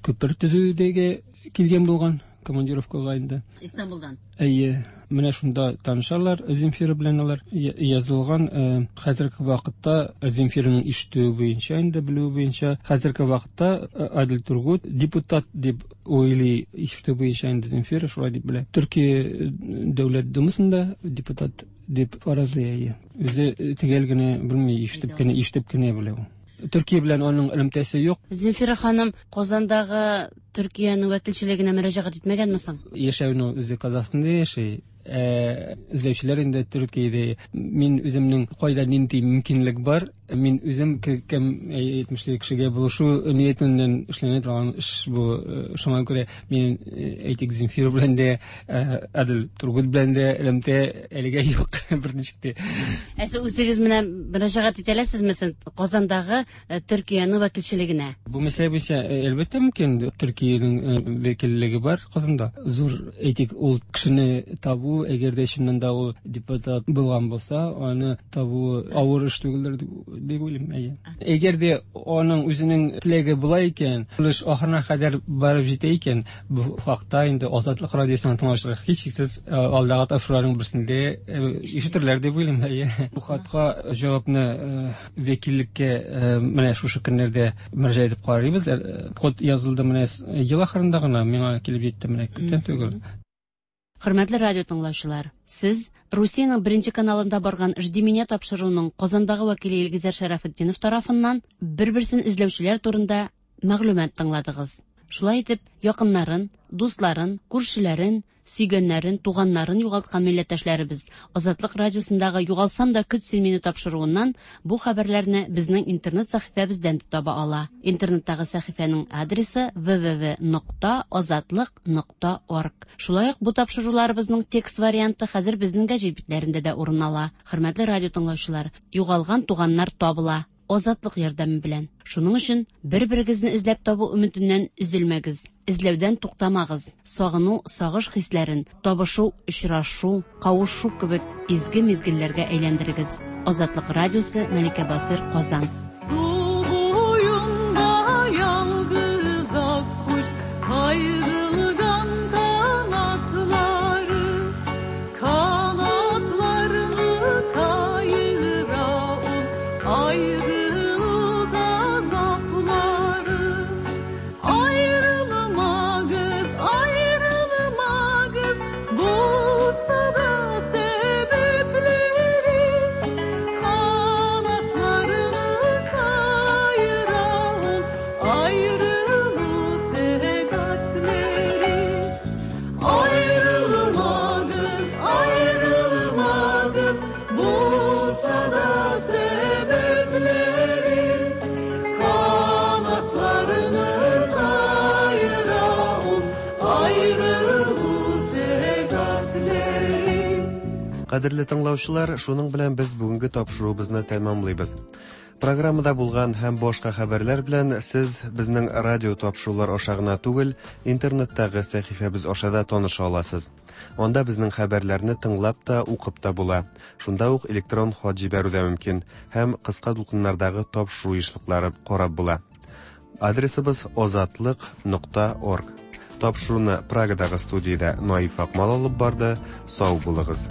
күпер төзүдәге килгән булган командировкага инде. Истанбулдан. Әйе, менә шунда танышалар Земфира белән алар. Язылган хәзерге вакытта Земфираның ишетүе буенча, инде белүе буенча, хәзерге вакытта Адил Тургут депутат дип уйлый, ишетүе буенча инде Земфира шулай дип белә. Төркия дәүләт думасында депутат дип фаразлый, әйе. Үзе төгәл генә белми, ишетеп кенә белә ул. Төркия белән аның элемтәсе юк. Земфира ханым Казандагы Төркиянең вәкилчелегенә мөрәҗәгать итмәгәнме соң? Яшәүне үзе Казахстанда яши. Эзләүчеләр инде Төркиядә. Мин үземнең кайда нинди мөмкинлек бар, мин үзем кем әйтмешли кешегә булышу ниятеннән эшләнә торган эш бу. Шуңа күрә мин, әйтик, Земфира белән дә, Адил Тургут белән дә элемтә әлегә юк берничек тә. Ә сез үзегез менә мөрәҗәгать итә аласызмы соң Казандагы Төркиянең вәкилчелегенә? Бу мәсьәлә буенча әлбәттә мөмкин. Төркиянең вәкиллеге бар Казанда. Зур, әйтик, ул кешене табу, әгәр дә чыннан да ул депутат булган булса, аны табу авыр эш түгелдер дип уйлыйм, әйе. Әгәр дә аның үзенең теләге була икән, ул эш ахырына кадәр барып җитә икән, бу хакта инде Азатлык радиосының тыңлаучылары һичшиксез алдагы тапшыруларның берсендә ишетерләр дип уйлыйм, әйе. Бу хатка җавапны вәкиллеккә менә шушы көннәрдә мөрәҗәгать итеп карыйбыз. Код язылды менә ел ахырында гына, миңа килеп җитте менә күптән түгел. Хөрмәтле радио тыңлаучылар, сез Русиянең беренче каналында барган «Жди меня» тапшыруының Казандагы вәкиле Илгизәр Шәрәфетдинов тарафыннан бер-берсен эзләүчеләр турында мәгълүмат тыңладыгыз. Шулай итеп, якыннарын, дусларын, күршеләрен, сөйгәннәрен, туганнарын югалткан милләттәшләребез Азатлык радиосындагы «Югалсам да көт син мине» тапшыруыннан бу хәбәрләрне безнең интернет сәхифәбездән дә таба ала. Интернеттагы сәхифәнең адресы www.azatliq.org. Шулай ук бу тапшыруларыбызның текст варианты хәзер безнең гәҗит битләрендә дә урын ала. Хөрмәтле радио тыңлаучылар, югалган туганнар табыла Азатлык ярдәме белән. Шуның өчен бер-берегезне эзләп табу өметеннән өзелмәгез. Эзләүдән туктамагыз. Сагыну, сагыш хисләрен табышу, очрашу, кавышу кебек изге мизгелләргә әйләндерегез. Азатлык радиосы, Мәликә Басыр, Казан. Су буенда ялгыз аккош, кайрылган канатлары, канатларны кайыра ул, аерылык азаплары. Аерылмагыз, аерылмагыз, булса да сәбәпләре, канатларны Кадерле тыңлаучылар, шуның белән без бүгенге тапшыруыбызны тәмамлыйбыз. Программада булган һәм башка хәбәрләр белән сез безнең радио тапшырулар аша гына түгел, интернеттагы сәхифәбез аша да таныша аласыз. Анда безнең хәбәрләрне тыңлап та, укып та була. Шунда ук электрон хат җибәрү дә мөмкин һәм кыска дулкыннардагы тапшыру ешлыклары карап була. Адресыбыз озатлык.орг. Тапшыруны Прагадагы студиядә Наиф Акмал алып барды. Сау булыгыз.